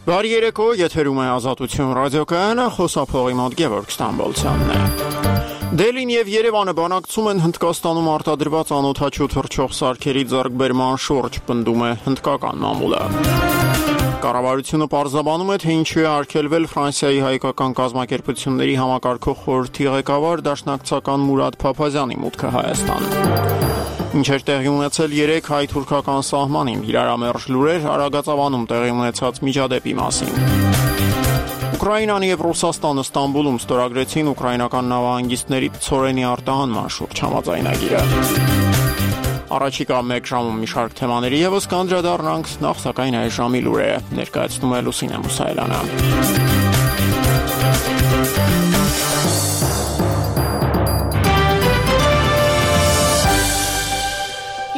Բարի երեկո, եթերում է Ազատություն ռադիոկայանը, խոսափողի մոտ Գևորգ Ստամբոլցյանն է։ Դելին եւ Երևանը բանակցում են Հնդկաստանում արտադրված անօդաչու թռչող սարքերի ձեռքբերման շուրջ, պնդում է հնդկական մամուլը։ Կառավարությունը պարզաբանում է, թե ինչու է արգելվել Ֆրանսիայի հայկական կազմակերպությունների համակարգող խորհրդի ղեկավար դաշնակցական Մուրադ Փափազյանի մուտքը Հայաստան։ Ինչեր տեղի ունեցել 3 հայ-թուրքական սահմանին, իրարամերժ լուրեր Արագածավանում տեղի ունեցած միջադեպի մասին։ Ուկրաինան եւ Ռուսաստանը Ստամբուլում ստորագրեցին ուկրաինական նավահանգիստների ցորենի արտահանման շուրջ համաձայնագիրը։ Առաջիկա 1 ժամում մի շարք թեմաների եւս կանդրադառնանք, նախ սակայն այս ժամի լուրերը ներկայացնում է Լուսինե Մուսայելյանը։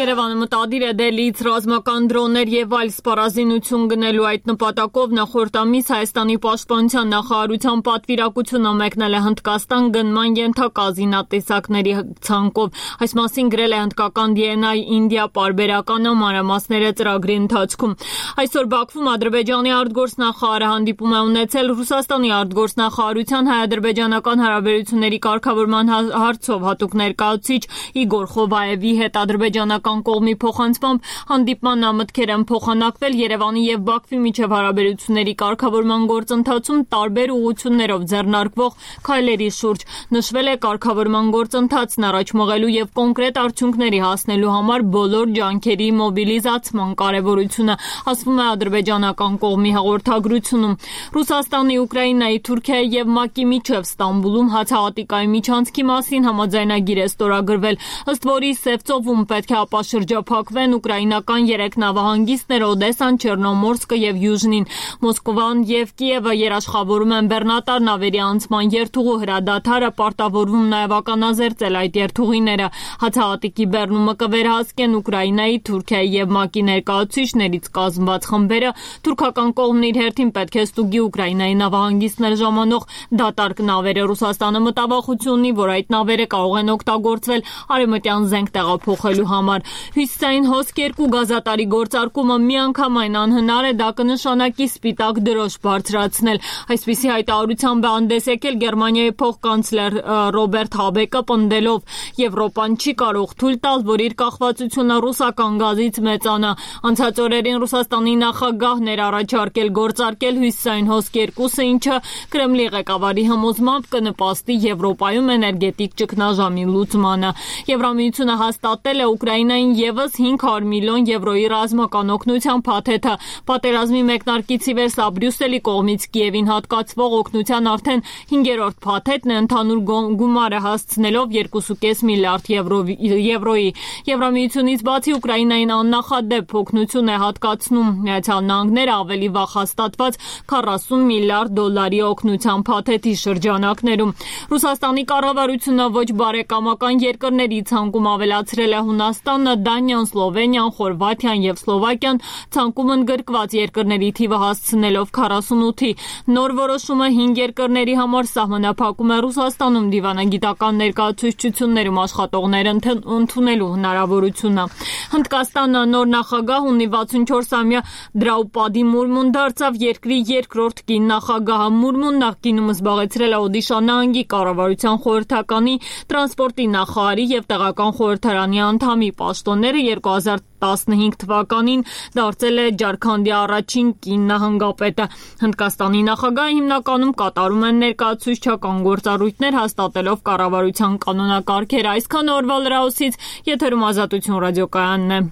Երևանը մտադիր է Դելիից ռազմական դրոններ եւ այլ սպառազինություն գնելու այդ նպատակով նախորդ ամիս Հայաստանի պաշտպանության նախարարության պատվիրակությունը մեկնել է Հնդկաստան գնման ենթակա զինատեսակների ցանկով։ Այս մասին գրել է հնդկական DNI India պարբերական մանրամասները ծրագրի ընթացքում։ Այսօր Բաքվում Ադրբեջանի արտգործնախարարը հանդիպում է ունեցել Ռուսաստանի արտգործնախարարության հայ-ադրբեջանական հարաբերությունների կարգավորման հարցով հատուկ ներկայացուցիչ Իգոր Խովայևի հետ ադրբեջանական կողմի փոխանցմամբ հանդիպման մտքեր են փոխանակվել Երևանի եւ Բաքվի միջև հարաբերությունների կարգավորման գործընթացում տարբեր ուղղություններով ձեռնարկվող քայլերի շուրջ։ Նշվել է կարգավորման գործընթացն առաջ մղելու եւ կոնկրետ արդյունքների հասնելու համար բոլոր ջանքերի մոբիլիզացման կարեւորությունը, ասվում է ադրբեջանական կողմի հաղորդագրությունում։ Ռուսաստանի, Ուկրաինայի, Թուրքիայի եւ ՄԱԿ-ի միջև Ստամբուլում հացահատիկայի միջանցքի մասին համաձայնագիր է ստորագրվել, ըստ որի Սևծովում պետք է շրջափակվեն ուկրաինական 3 նավահանգիստներ Օդեսան, Չեռնոմորսկը եւ Յուժնին։ Մոսկվան եւ Կիևը երաշխավորում են բեռնատար նավերի անցման երթուղու հրադադարը, պարտավորվում նաեւ ականազերծել այդ երթուղիները։ Հացահատիկի բեռնումը կվերահսկեն Ուկրաինայի, Թուրքիայի եւ ՄԱԿ-ի ներկայացուցիչներից կազմված խմբերը։ Թուրքական կողմն իր հերթին պետք է ստուգի Ուկրաինայի նավահանգիստներ ժամանող դատարկ նավերը։ Ռուսաստանը մտավախություն ունի, որ այդ նավերը կարող են օգտագործվել արևմտյան զենք տեղափոխելու համար։ Հյուսիսային հոսք 2 գազատարի գործարկումը միանգամայն անհնար է, դա կնշանակի սպիտակ դրոշ բարձրացնել։ Այսպիսի հայտարարությամբ է հանդես եկել Գերմանիայի փոխկանցլեր Ռոբերտ Հաբեկը, պնդելով Եվրոպան չի կարող թույլ տալ, որ իր կախվածությունը ռուսական գազից մեծանա։ Անցած օրերին Ռուսաստանի նախագահն էր առաջարկել գործարկել հյուսիսային հոսք 2-ը, ինչը Կրեմլի ղեկավարի համոզմամբ կնպաստի Եվրոպայում էներգետիկ ճգնաժամի լուծմանը։ Եվրամիությունը հաստատել է Ուկրաինային եւս 500 միլիոն եվրոյի ռազմական օգնության փաթեթը։ Պատերազմի մեկնարկից ի վեր սա Բրյուսելի կողմից Կիևին հատկացվող օգնության արդեն 5-րդ փաթեթն է, ընդհանուր գումարը հասցնելով 2.5 միլիարդ եվրոյի։ Եվրամիությունից բացի Ուկրաինային աննախադեպ օգնություն է հատկացնում Միացյալ Նահանգները ավելի վաղ հաստատված 40 միլիարդ դոլարի օգնության փաթեթի շրջանակներում։ Ռուսաստանի կառավարությունը ոչ բարեկամական երկրների ցանկում ավելացրել է Հունաստանը, Դանիան, Սլովենիան, Խորվաթիան եւ Սլովակիան, ցանկում ընդգրկված երկրների թիվը հասցնելով 48-ի։ Նոր որոշումը 5 երկրների համար սահմանափակում է Ռուսաստանում դիվանագիտական ներկայացուցչություններում աշխատողներ ընդունելու հնարավորությունը։ Հնդկաստանը նոր նախագահ ունի 64-ամյա Դրաուպադի Մուրմուն դարձավ երկրի երկրորդ կին նախագահը։ Մուրմուն նախկինում զբաղեցրել է Օդիշա նահանգի կառավարության խորհրդականի տրանսպորտի նախարարի եւ տեղական խորհրդարանի անդամի պաշտոնները 2015 թվականին դարձել է Ջարքանդի առաջին կին նահանգապետը։ Հնդկաստանի նախագահը հիմնականում կատարում են ներկայացուցչական գործառույթներ հաստատելով կառավարության կանոնակարգերը։ Այսքան օրվա լրահոսից եթերում Ազատություն ռադիոկայանն է։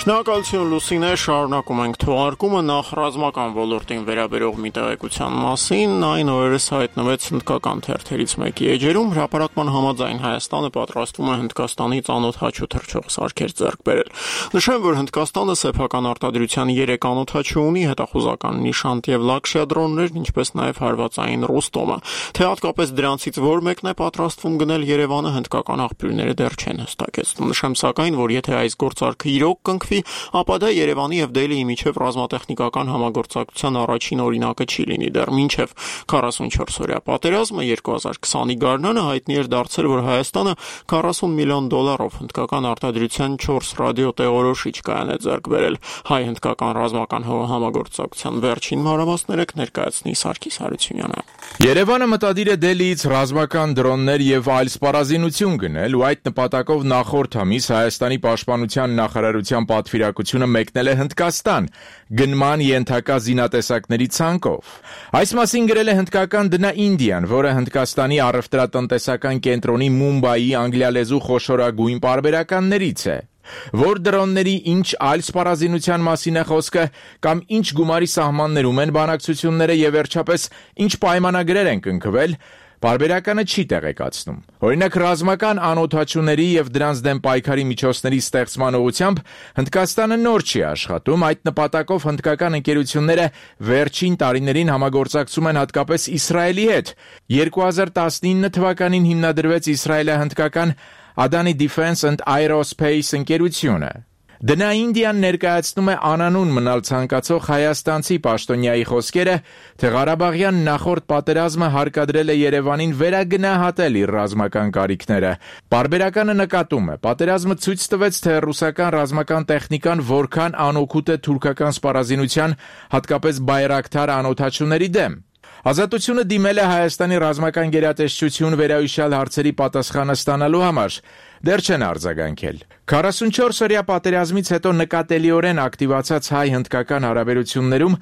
Շնորհակալություն Լուսինե, շարունակում ենք թողարկումը նախ ռազմական ոլորտին վերաբերող մի տեղեկության մասին, այն օրերս հայտնվեց հնդկական թերթերից մեկի էջերում, հրապարակման համաձայն Հայաստանը պատրաստվում է Հնդկաստանից անօդաչու թռչող սարքեր ձեռք բերել։ Նշեմ, որ Հնդկաստանը սեփական արտադրության 3 անօդաչու ունի, հետախուզական Նիշանտ եւ Լաքշյա դրոններ, ինչպես նաեւ հարվածային Ռոստոմը։ Թե հատկապես դրանցից որ մեկն է պատրաստվում գնել Երևանը, հնդկական աղբյուրները դեռ չեն հստակեցնում։ Նշեմ սակայն, որ եթե այս գործարքը իրոք կնքվի, ստեղծվի, ապա դա Երևանի եւ Դելիի միջև ռազմատեխնիկական համագործակցության առաջին օրինակը չի լինի։ Դեռ մինչև 44-օրյա պատերազմը 2020-ի գարնանը հայտնի էր դարձել, որ Հայաստանը $40 միլիոն հնդկական արտադրության 4 ռադիոտեղորոշիչ կայան է ձեռք բերել։ Հայ-հնդկական ռազմական համագործակցության վերջին մանրամասները կներկայացնի Սարգիս Հարությունյանը։ Երևանը մտադիր է Դելիից ռազմական դրոններ եւ այլ սպառազինություն գնել ու այդ նպատակով նախորդ ամիս Հայաստանի պաշտպանության նախարարության պատվիրակությունը մեկնել է Հնդկաստան գնման ենթակա զինատեսակների ցանկով։ Այս մասին գրել է հնդկական The Indian, որը Հնդկաստանի առևտրատնտեսական կենտրոնի Մումբայի անգլիալեզու խոշորագույն պարբերականներից է։ Որ դրոնների ինչ այլ սպառազինության մասին է խոսքը կամ ինչ գումարի սահմաններում են բանակցությունները եւ վերջապես ինչ պայմանագրեր են կնքվել, պարբերականը չի տեղեկացնում։ Օրինակ ռազմական անօթաչուների եւ դրանց դեմ պայքարի միջոցների ստեղծման ուղղությամբ Հնդկաստանը նոր չի աշխատում, այդ նպատակով հնդկական ընկերությունները վերջին տարիներին համագործակցում են հատկապես Իսրայելի հետ։ 2019 թվականին հիմնադրվեց իսրայելահնդկական Adani Defense and Aerospace ընկերությունը։ The Indian ներկայացնում է անանուն մնալ ցանկացող հայաստանցի պաշտոնյայի խոսքերը, թե Ղարաբաղյան նախորդ պատերազմը հարկադրել է Երևանին վերագնահատել իր ռազմական կարիքները։ Պարբերականը նկատում է, պատերազմը ցույց տվեց, թե ռուսական ռազմական տեխնիկան որքան անօգուտ է թուրքական սպառազինության, հատկապես Բայրակթար անօթաչուների դեմ։ Ազատությունը դիմել է Հայաստանի ռազմական գերատեսչություն վերահիշյալ հարցերի պատասխանը ստանալու համար։ Դեռ չեն արձագանքել։ 44-օրյա պատերազմից հետո նկատելիորեն ակտիվացած հայ-հնդկական հարաբերություններում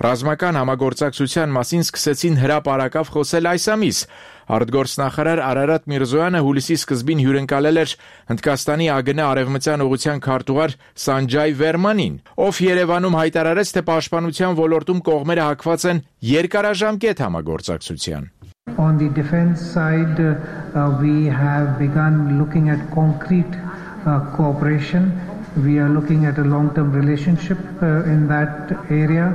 ռազմական համագործակցության մասին սկսեցին հրապարակավ խոսել այս ամիս։ Արտգործնախարար Արարատ Միրզոյանը հուլիսի սկզբին հյուրընկալել էր Հնդկաստանի ԱԳՆ արևմտյան ուղղության քարտուղար Սանջայ Վերմանին, ով Երևանում հայտարարեց, թե պաշտպանության ոլորտում կողմերը հակված են երկարաժամկետ համագործակցության։ On the defense side, we have begun looking at concrete cooperation. We are looking at a long-term relationship in that area.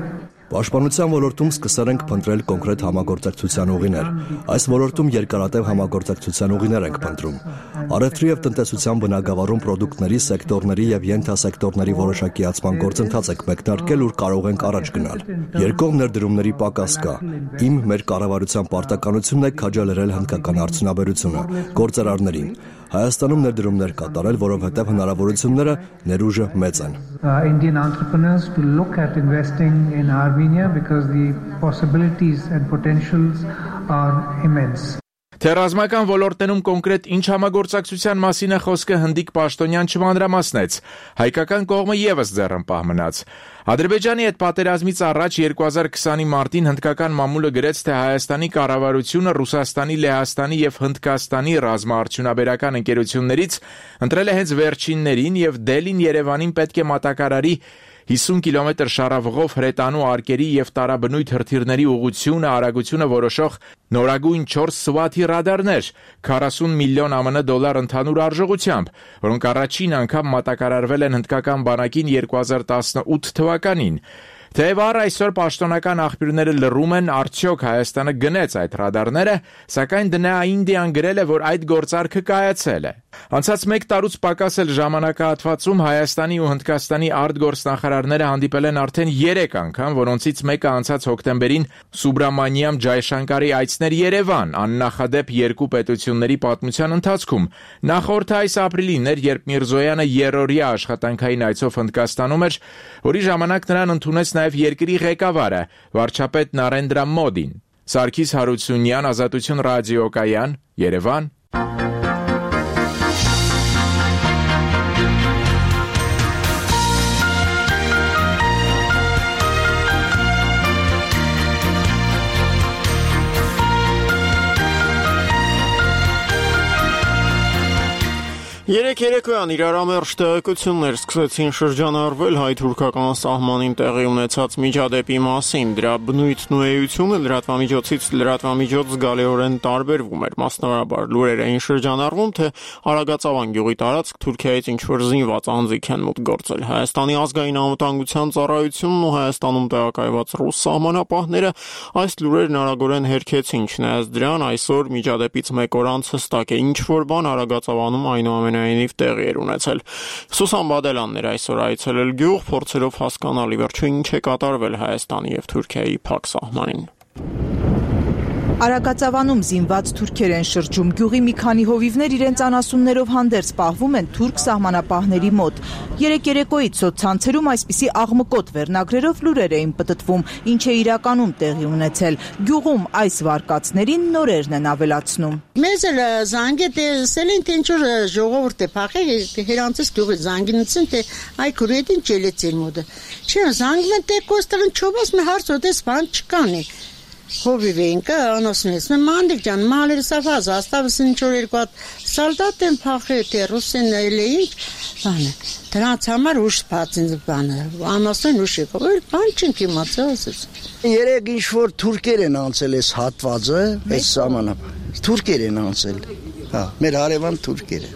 Պաշտպանության ոլորտում սկսել ենք փնտրել կոնկրետ համագործակցության ուղիներ։ Այս ոլորտում երկարատև համագործակցության ուղիներ ենք փնտրում։ Առևտրի եւ տնտեսության բնագավառում պրոդուկտների, սեկտորների եւ ենթասեկտորների որոշակիացման գործընթաց ենք մեկնարկել, ուր կարող ենք առաջ գնալ։ Երկկողմ ներդրումների պակաս կա։ Մեր կառավարության պարտականությունն է քաջալերել հնդկական արդյունաբերությունը, գործարարներին։ Հայաստանում ներդրումներ կատարել, որովհետև հնարավորությունները ներուժը մեծ են։ Indian entrepreneurs to look at investing in Armenia because the possibilities and potentials are immense. Թե ռազմական ոլորտներում կոնկրետ ինչ համագործակցության մասին է խոսքը հնդիկ պաշտոնյան չմանրամասնեց, հայկական կողմը եւս ձեռնպահ մնաց։ Ադրբեջանի հետ պատերազմից առաջ 2020-ի մարտին հնդկական մամուլը գրեց, թե Հայաստանի կառավարությունը Ռուսաստանի, Լեհաստանի եւ Հնդկաստանի ռազմաարդյունաբերական ընկերություններից ընտրել է հենց վերջիններին եւ Դելին Երևանին պետք է մատակարարի 50 կիլոմետր շարավղով հրետանու արկերի եւ տարաբնույթ հրթիռների ուղղությունը, արագությունը որոշող նորագույն 4 Swat-ի ռադարներ, 40 միլիոն ԱՄՆ $, ընդհանուր արժողությամբ, որոնք առաջին անգամ մատակարարվել են հնդկական բանակին 2018 թվականին։ Թեև այսօր պաշտոնական աղբյուրները լռում են, արդյոք Հայաստանը գնեց այդ ռադարները, սակայն The Indian գրել է, որ այդ գործարքը կայացել է։ Անցած 1 տարուց պակաս էլ ժամանակահատվածում Հայաստանի ու Հնդկաստանի արտգործնախարարները հանդիպել են արդեն 3 անգամ, որոնցից մեկը անցած հոկտեմբերին Սուբրամանիամ Ջայշանկարի այցներ Երևան, աննախադեպ երկու պետությունների պատմության ընթացքում։ Նախորդ այս ապրիլին էր, երբ Միրզոյանը երրորդյա աշխատանքային այցով Հնդկաստանում էր, որի ժամանակ նրան ընդունեց նաև երկրի ղեկավարը, վարչապետ Նարենդրա Մոդին։ Սարգիս Հարությունյան, Ազատություն ռադիոկայան, Երևան։ Երեկոյան իրարամերժ տեղեկություններ սկսեցին շրջանառվել հայ-թուրքական սահմանին տեղի ունեցած միջադեպի մասին։ Դրա բնույթն ու էությունը լրատվամիջոցից լրատվամիջոց զգալիորեն տարբերվում էր։ Մասնավորաբար լուրեր էին շրջանառվում, թե Արագածավան գյուղի տարածք Թուրքիայից ինչ-որ զինված անձիկ են մուտք գործել։ Հայաստանի ազգային անվտանգության ծառայությունն ու Հայաստանում տեղակայված ռուս սահմանապահները այս լուրերն արագորեն հերքեցին։ Չնայած դրան, այսօր միջադեպից 1 օր անց հստակ է, ինչ-որ բան Արագածավանում այնուամենայնիվ շնորհիվ տեղի էր ունեցել։ Սուսան Բադելյանն էր այսօր այցելել գյուղ, փորձելով հասկանալ ի վերջո ինչ է կատարվել Հայաստանի եւ Թուրքիայի փակ սահմանին։ Արագածավանում զինված թուրքեր են շրջում, գյուղի մի քանի հովիվներ իրենց անասուններով հանդերձ պահվում են թուրք սահմանապահների մոտ։ Երեկ երեկոյից սոցցանցերում այսպիսի աղմկոտ վերնագրերով լուրեր էին պտտվում, ինչ է իրականում տեղի ունեցել։ Գյուղում այս վարկածներին նորերն են ավելացնում։ Մեզ էլ զանգ է տեսել են, թե ինչ-որ ժողովուրդ է փախել, հերանցից գյուղի զանգինցին, թե այ քուրեդին ճելեցել մոդը։ Չէ, զանգն են թե կոստեղն չոբաս մի հարց ոդես բան չկանի։ Հովիվենկը անոսնես մանդիկ ջան մալեր սավազ աստավս ինչ-որ երկու հատ սալդատ են փախել թե ռուսեն էլեին բանը դրանց համար ուշ սպացին բանը անոսն ուշ եկավ բան չենք իմացել ասես երեք ինչ-որ թուրքեր են անցել այս հատվածը այս սահմանապահ թուրքեր են անցել հա մեր հարևան թուրքերը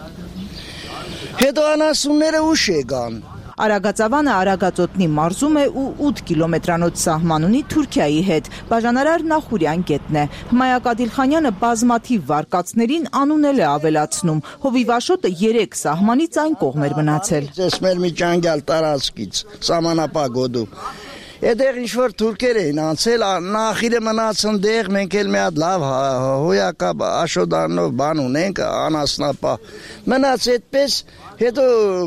հետո անասունները ուշ եկան Արագածավանը Արագածոտնի մարզում է ու 8 կիլոմետրանոց սահման ունի Թուրքիայի հետ։ Բաժանարար Նախուրյան գետն է։ Հմայակ Ադիլխանյանը բազմաթիվ վարկածներին անունել է ավելացնում։ Հովիվ Աշոտը 3 սահմանից այն կողմ էր մնացել։ Ես մեր մի ճանգյալ տարածքից սահմանապահ գոտու Այդտեղ ինչ-որ թուրքեր էին անցել, նախիրը մնացն դեղ, մենք էլ մի հատ լավ հոյակապ աշոդանով բան ունենք, անասնապահ։ Մնաց այդպես, հետո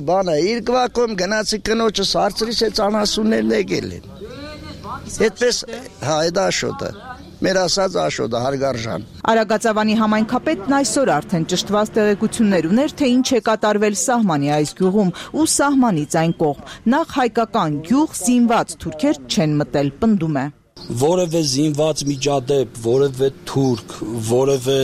բանը իրկվակում գնացի կնոջս հարցրից այդ անասուններն եկել են։ Այդպես, հա, այդ աշոտը։ Մեր ասած աշոտը հարգարժան։ Արագածավանի համայնքապետն այսօր արդեն ճշտված տեղեկություններ ուներ, թե ինչ է կատարվել սահմանի այս գյուղում ու սահմանից այն կողմ։ Նախ հայկական գյուղ զինված թուրքեր չեն մտել, պնդում է։ Որևէ զինված միջադեպ, որևէ թուրք, որևէ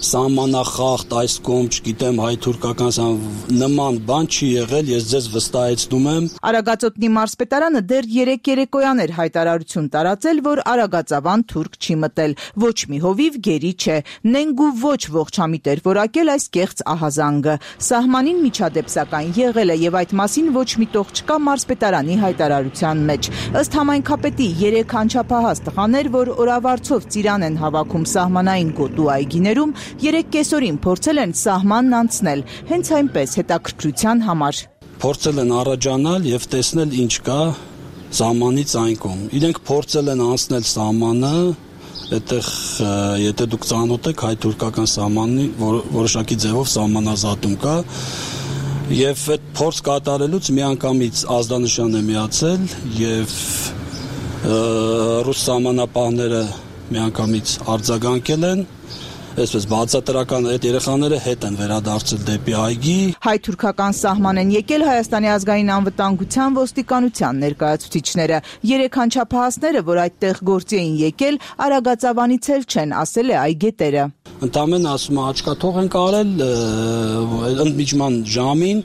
սահմանախախտ այս կողմ, չգիտեմ, հայ-թուրքական նման բան չի եղել, ես ձեզ վստահեցնում եմ։ Արագածոտնի մարզպետարանը դեռ երեկոյան էր հայտարարություն տարածել, որ Արագածավան թուրք չի մտել, ոչ մի հովիվ գերի չէ, նենգ ու ոչ ողջամիտ էր որակել այս կեղծ ահազանգը։ Սահմանին միջադեպ սակայն եղել է եւ այդ մասին ոչ մի տող չկա մարզպետարանի հայտարարության մեջ։ Ըստ համայնքապետի 3 անչափահաս տղաներ, որ օրավարձով ծիրան են հավաքում սահմանային գոտու այգիներում, 3 կեսօրին փորձել են սահմանն անցնել, հենց այնպես հետաքրքրության համար։ Փորձել են առաջանալ եւ տեսնել ինչ կա սահմանից այն կողմ։ Իրենք փորձել են անցնել սահմանը, այդտեղ եթե դուք ծանոթ եք հայ-թուրքական սահմանի որոշակի ձևով սահմանազատում կա եւ այդ փորձ կատարելուց միանգամից ազդանշան է միացել եւ ռուս սահմանապահները միանգամից արձագանքել են, այսպես բացատրական այդ երեխաները հետ են վերադարձել դեպի այգի։ Հայ-թուրքական սահման են եկել Հայաստանի ազգային անվտանգության ոստիկանության ներկայացուցիչները։ 3 անչափահասները, որ այդտեղ գործի էին եկել, Արագածավանից էլ չեն, ասել է այգետերը։ Ընդամենը ասում է աչքաթող են կարել ընդմիջման ժամին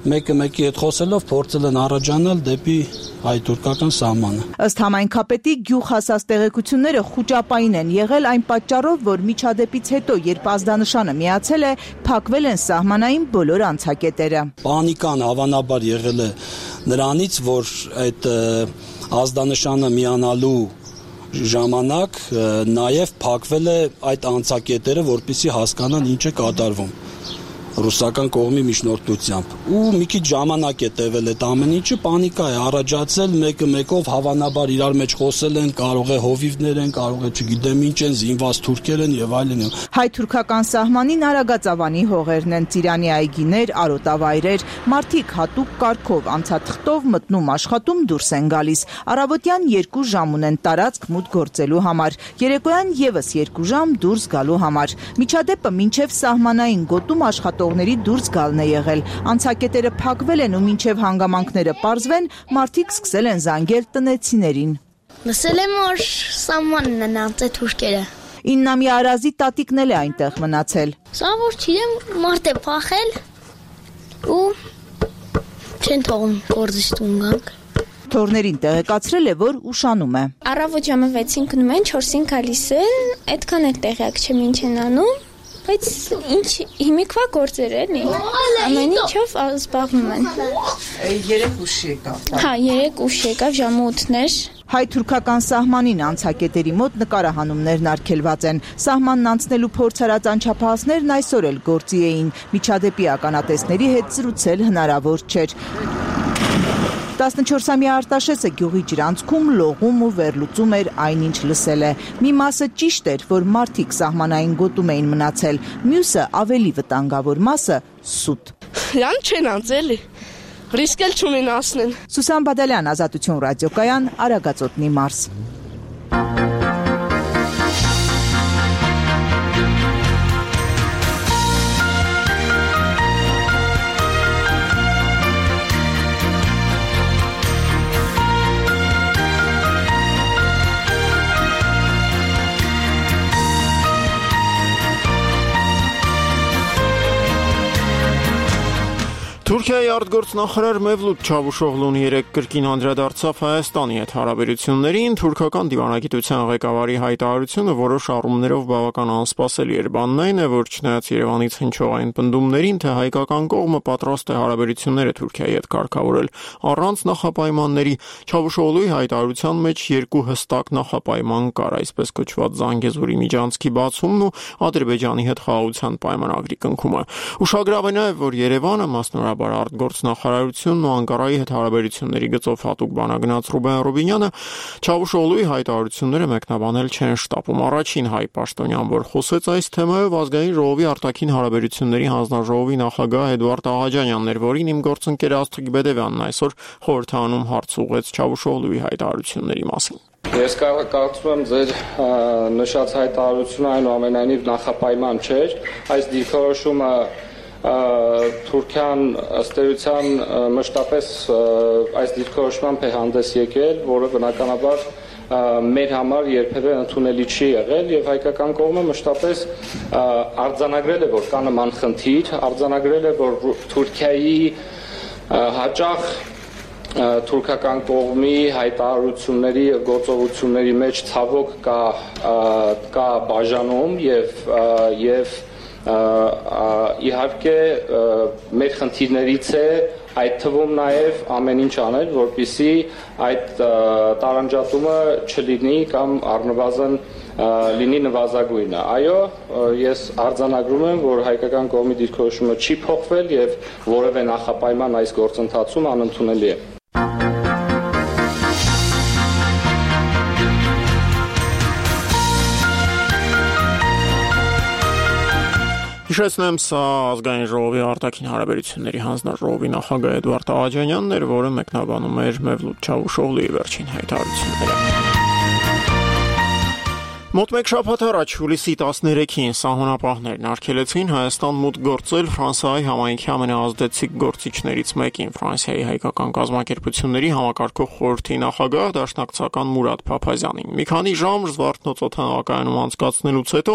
մեկը մեկի հետ խոսելով փորձել են առաջանալ դեպի հայ-թուրքական սահմանը։ Ըստ համայնքապետի գյուղ հասած տեղեկությունները խուճապային են եղել այն պատճառով, որ միջադեպից հետո, երբ ազդանշանը միացել է, փակվել են սահմանային բոլոր անցակետերը։ Պանիկան հավանաբար եղել է նրանից, որ այդ ազդանշանը միանալու ժամանակ նաև փակվել է այդ անցակետերը, որպեսզի հասկանան ինչ է կատարվում ռուսական կողմի միջնորդությամբ ու մի քիչ ժամանակ է տևել այդ ամեն ինչը պանիկա է առաջացել մեկը մեկով հավանաբար իրար մեջ խոսել են կարող է հովիվներ են կարող է չգիտեմ ինչ են զինված թուրքեր են եւ այլն հայ-թուրքական սահմանին Արագածավանի հողերն են ծիրանի այգիներ արոտավայրեր մարդիկ հատուկ կարգով անցաթղթով մտնում աշխատում դուրս են գալիս առավոտյան 2 ժամ ունեն տարածք մուտք գործելու համար երեկոյան եւս 2 ժամ դուրս գալու համար միջադեպը մինչեւ սահմանային գոտում աշխատողների դուրս գալն է եղել անցակետերը փակվել են ու մինչեւ հանգամանքները պարզվեն մարդիկ սկսել են զանգել տնեցիներին լսել եմ որ սահմանն են անցել թուրքերը 9-ամյա Արազի տատիկն էլ է այնտեղ մնացել սա որ չեմ մարդ է փախել ու չեն թողում գործից տուն գանք Թորներին տեղեկացրել է, որ ուշանում է։ Առավոտ ժամը 6-ին գնում են, 4-ին գալիս են, այդքան էլ տեղյակ չեմ ինչ են անում, բայց ինչ հիմիկվա գործեր էլի։ Ամեն ինչով զբաղվում են։ 3 ուշ եկավ։ Հա, 3 ուշ եկավ ժամը 8-ներ։ Հայ-թուրքական սահմանին անցակետերի մոտ նկարահանումներն արգելված են։ Սահմանն անցնելու փորձ արած անչափահասներն այսօր էլ գործի էին։ Միջադեպի ականատեսների հետ զրուցել հնարավոր չէր։ 14-ամյա Արտաշեսը գյուղի ջրանցքում լողում ու վերլուծում էր այնինչ լսել է։ Մի մասը ճիշտ էր, որ մարդիկ սահմանային գոտում էին մնացել, մյուսը ավելի վտանգավոր մասը սուտ։ Յան չեն անցել, ռիսկել չունեն ասնեն։ Սուսան Բադալյան, Ազատություն ռադիոկայան, Արագածոտնի մարզ։ Թուրքիայի արտգործնախարար Մևլութ Չավուշօղլուն երեկ կրկին անդրադարձավ Հայաստանի հետ հարաբերություններին, թուրքական դիվանագիտության ղեկավարի հայտարարությունը որոշ առումներով բավական անսպասելի էր, բանն այն է, որ չնայած Երևանից հնչող այն պնդումներին, թե հայկական կողմը պատրաստ է հարաբերությունները Թուրքիայի հետ կարգավորել առանց նախապայմանների, Չավուշօղլուի հայտարարության մեջ երկու հստակ նախապայման կար, այսպես կոչված Զանգեզուրի միջանցքի բացումն ու Ադրբեջանի հետ խաղաղության պայմանագրի կնքումը։ Ուշագրավ է նաև, որ Երևանը մասնորապես արտգործնախարարությունն ու Անկարայի հետ հարաբերությունների գծով հատուկ բանագնաց Ռուբեն Ռուբինյանը Չավուշօղլուի հայտարարությունները մեկնաբանել չեն շտապում։ Առաջին հայ պաշտոնյան, որ խոսեց այս թեմայով, ազգային ժողովի արտաքին հարաբերությունների հանձնաժողովի նախագահ Էդվարդ Աղաջանյանն էր, որին իմ գործընկեր Աստղիկ Բեդևյանն այսօր խորհրդանում հարց ուղղեց Չավուշօղլուի հայտարարությունների մասին։ Ես կարծում եմ ձեր նշած հայտարարությունը այնուամենայնիվ նախապայման չէր, այս դիրքորոշումը Թուրքիան ըստ էության մշտապես այս դիրքորոշմամբ է հանդես եկել, որը բնականաբար մեր համար երբևէ ընդունելի չի եղել եւ հայկական կողմը մշտապես արձանագրել է, որ կա նման խնդիր, արձանագրել է, որ Թուրքիայի հաճախ թուրքական կողմի հայտարարությունների եւ գործողությունների մեջ ցավոք կա բաժանում եւ իհարկե մեր խնդիրներից է այդ թվում նաև ամեն ինչ անել, որպեսզի այդ տարանջատումը չլինի կամ առնվազն լինի նվազագույնը։ Այո, ես արձանագրում եմ, որ հայկական կողմի դիրքորոշումը չի փոխվել եւ որևէ նախապայման այս գործընթացում անընդունելի է։ Հիշեցնեմ, սա ազգային ժողովի արտաքին հարաբերությունների հանձնաժողովի նախագահ Էդվարդ Աղաջանյանն էր, որը մեկնաբանում էր Մևլութ Չավուշօղլուի վերջին հայտարարությունները։ Մոտ մեկ շաբաթ առաջ հուլիսի 13-ին սահմանապահներն արգելեցին Հայաստան մուտք գործել Ֆրանսիայի համայնքի ամենաազդեցիկ գործիչներից մեկին, Ֆրանսիայի հայկական կազմակերպությունների համակարգող խորհրդի նախագահ դաշնակցական Մուրադ Փափազյանին։ Մի քանի ժամ Զվարթնոց օդանավակայանում անցկացնելուց հետո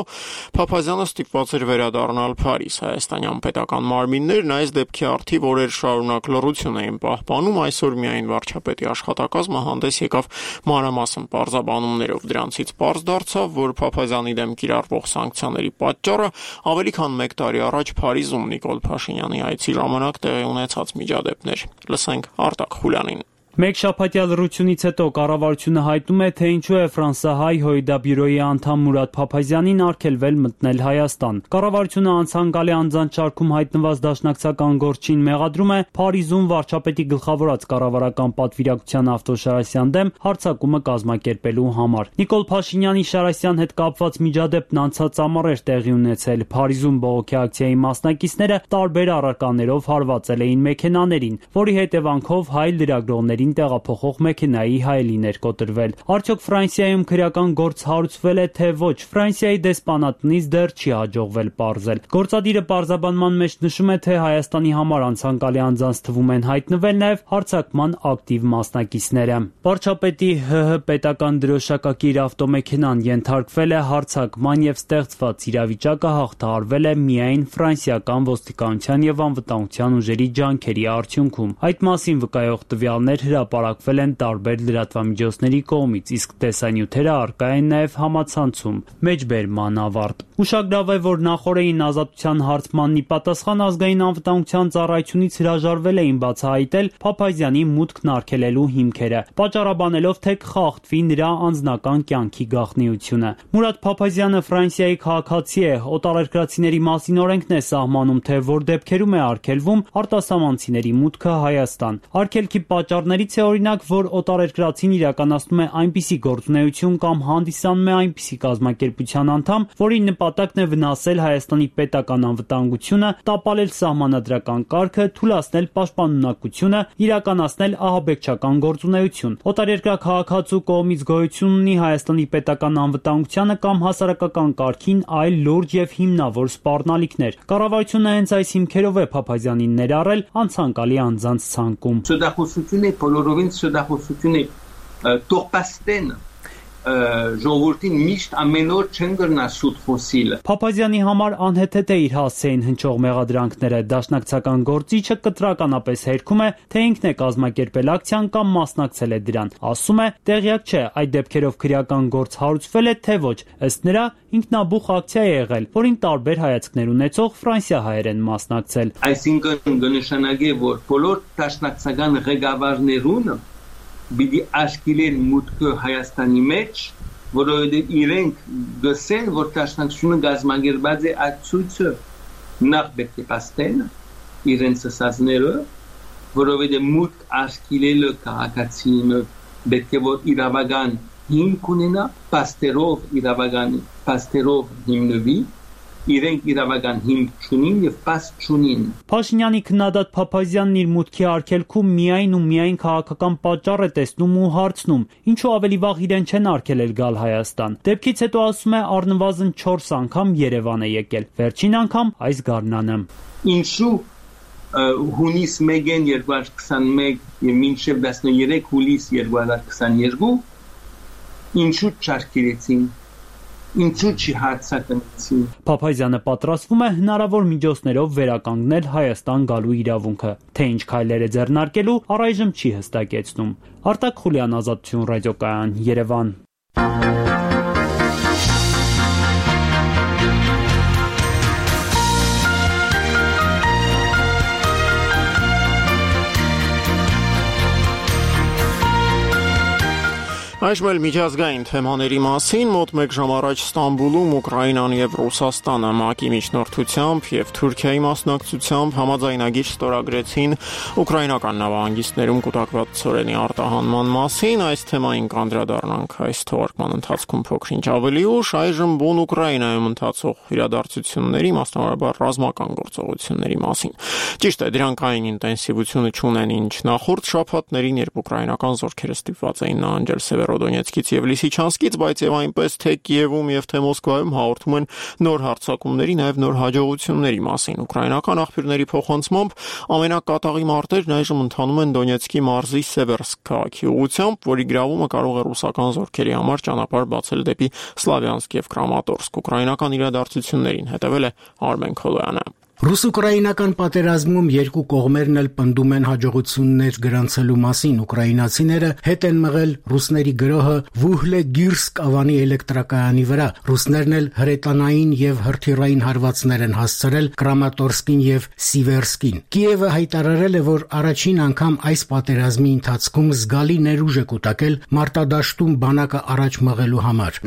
Փափազյանը ստիպված էր վերադառնալ Փարիզ։ Հայաստանյան պետական մարմիններն այս դեպքի առթիվ օրեր շարունակ լռություն էին պահպանում, այսօր միայն վարչապետի աշխատակազմը հանդես եկավ մանրամասն պարզաբանումներով, դրանցից պարզ դարձավ, որ Փափազյանի դեմ կիրառվող սանկցիաների պատճառը ավելի քան 1 տարի առաջ Փարիզում Նիկոլ Փաշինյանի այցի ժամանակ տեղի ունեցած միջադեպներ։ Լսենք Արտակ Խուլյանին։ Մեկ շաբաթյա լռությունից հետո կառավարությունը հայտնում է, թե ինչու է ֆրանսահայ Հոյդա բյուրոյի անդամ Մուրադ Փափազյանին արգելվել մտնել Հայաստան։ Կառավարությունը անցանկալի անձանց շարքում հայտնված դաշնակցական գործչին մեղադրում է Փարիզում վարչապետի գլխավորած կառավարական պատվիրակության Ավտոշարասյան դեմ հարձակումը կազմակերպելու համար։ Նիկոլ Փաշինյանի Շարասյան հետ կապված միջադեպն անցած ամառ էր տեղի ունեցել։ Փարիզում բողոքի ակցիայի մասնակիցները տարբեր առարկաներով հարվածել էին մեքենաներին, որի հետևանքով հայ լրագրողների տեղափոխող մեքենայի հայելին էր կոտրվել։ Արդյոք Ֆրանսիայում քրեական գործ հարուցվել է, թե ոչ, Ֆրանսիայի դեսպանատնից դեռ չի հաջողվել պարզել։ Գործադիրը պարզաբանման մեջ նշում է, թե Հայաստանի համար անցանկալի անձանց թվում են հայտնվել նաև հարձակման ակտիվ մասնակիցները։ Վարչապետի ՀՀ պետական դրոշակակիր ավտոմեքենան ենթարկվել է հարձակման եւ ստեղծված իրավիճակը հաղթահարվել է միայն ֆրանսիական ոստիկանության եւ անվտանգության ուժերի ջանքերի արդյունքում։ Այդ մասին վկայող տվյալներ հրապարակվել են տարբեր լրատվամիջոցների կողմից, իսկ տեսանյութերը առկա են նաև համացանցում։ Մեջբերման ավարտ։ Ուշագրավ է, որ նախորդին ազատության հարցմանն ի պատասխան ազգային անվտանգության ծառայությունից հրաժարվել էին բացահայտել Փափազյանի մուտքն արգելելու հիմքերը, պատճառաբանելով, թե կխախտվի նրա անձնական կյանքի գաղտնիությունը։ Մուրադ Փափազյանը Ֆրանսիայի քաղաքացի է, օտարերկրացիների մասին օրենքն է սահմանում, թե որ դեպքերում է արգելվում արտասահմանցիների մուտքը Հայաստան։ Արգելքի պատճառներից է օրինակ, որ օտարերկրացին իրականացնում է այնպիսի գործունեություն կամ հանդիսանում է այնպիսի կազմակերպության անդամ, որի նպատակն է վնասել Հայաստանի պետական անվտանգությունը, տապալել սահմանադրական կարգը, թուլացնել պաշտպանունակությունը, իրականացնել ահաբեկչական գործունեություն։ Օտարերկրյա քաղաքացու կողմից գոյություն ունի Հայաստանի պետական անվտանգությանը կամ հասարակական կարգին այլ լուրջ եւ հիմնավոր սպառնալիքներ։ Կառավարությունը հենց այս հիմքերով է Փափազյանին ներառել անցանկալի անձանց ցանկում։ Սուդախոսությունը բոլորովին սուդախոսություն է տողպաստեն ժողովրդին միշտ ամեն օր չեն գրնա սուտ խոսիլ։ Փափազյանի համար անհեթեթ է իր հասցեին հնչող մեղադրանքները։ Դաշնակցական գործիչը կտրականապես հերքում է, թե ինքն է կազմակերպել ակցիան կամ մասնակցել է դրան։ Ասում է, տեղյակ չէ, այդ դեպքերով քրեական գործ հարուցվել է, թե ոչ։ Ըստ նրա, ինքնաբուխ ակցիա է եղել, որին տարբեր հայացքներ ունեցող ֆրանսիահայեր են մասնակցել։ Այսինքն կնշանակի, որ բոլոր դաշնակցական ղեկավարներուն բիդի աշկիլեն մուտքը Հայաստանի մեջ, որովհետև իրենք գսեն, որ դաշնակցությունը գազագերբած է այդ ցույցը նախ պետք է պաստեն իրենց ասածները, որովհետև մուտք աշկիլելը քաղաքացին պետք է որ իրավական հիմք ունենա, պաստերով հիմնվի, իրենք իրավական հիմք չունին եւ պաս չունին։ Փաշինյանի քննադատ Փափազյանն իր մուտքի արգելքում միայն ու միայն քաղաքական պատճառ է տեսնում ու հարցնում, ինչու ավելի վաղ իրեն չեն արգելել գալ Հայաստան։ Դեպքից հետո ասում է առնվազն 4 անգամ Երևան է եկել, վերջին անգամ այս գարնանը։ Ինչու հունիս 1-ին 2021 եւ մինչեւ 13 հուլիս 2022 ինչու չարգելեցին։ Ինչու՞ չի հարցակնեցին։ Փափազյանը պատրաստվում է հնարավոր միջոցներով վերականգնել Հայաստան գալու իրավունքը, թե ինչ քայլեր է ձեռնարկելու, առայժմ չի հստակեցնում։ Արտակ Խուլյան, Ազատություն ռադիոկայան, Երևան։ Այժմ էլ միջազգային թեմաների մասին մոտ 1 ժամ առաջ Ստամբուլում Ուկրաինան եւ Ռուսաստանը ՄԱԿ-ի միջնորդությամբ եւ Թուրքիայի մասնակցությամբ համաձայնագիր ստորագրեցին ուկրաինական նավահանգիստներում կուտակված ծորենի արտահանման մասին։ Այս թեմային կանդրադառնանք այս թողարկման ընթացքում փոքր-ինչ ավելի ուշ։ Այժմ բուն Ուկրաինայում ընթացող իրադարձությունների, մասնավորապես ռազմական գործողությունների մասին։ Ճիշտ է, դրանք այն ինտենսիվությունը չունեն, ինչ նախորդ շաբաթներին, երբ ուկրաինական զորքերը ստիպված էին նահանջել Սևերոդոնեցկից եւ Լիսիչանսկից, բայց եւ այնպես թե Կիևում եւ թե Մոսկվայում հաղորդում են նոր հարձակումների, նաեւ նոր հաջողությունների մասին։ Ուկրաինական աղբյուրների փոխանցմամբ ամենակատաղի մարտերն այժմ ընթանում են Դոնեցկի մարզի Սևերսկ քաղաքի ուղղությամբ, որի գրավումը կարող է ռուսական զորքերի համար ճանապարհ բացել դեպի Սլավյանսկ եւ Կրամատորսկ։ Ուկրաինական իրադարձություններին հետևել է Արմեն Քոլոյանը։ Ռուս-ուկրաինական պատերազմում երկու կողմերն էլ պնդում են հաջողություններ գրանցելու մասին։ Ուկրաինացիները հետ են մղել ռուսների գրոհը Վուհլեգիրսկ ավանի էլեկտրակայանի վրա։ Ռուսներն էլ հրետանային եւ հրթիռային հարվածներ են հասցրել Կրամատորսկին եւ Սիվերսկին։ Կիևը հայտարարել է, որ առաջին անգամ այս պատերազմի ընթացքում զգալի ներուժ է կուտակել մարտադաշտում բանակը առաջ մղելու համար։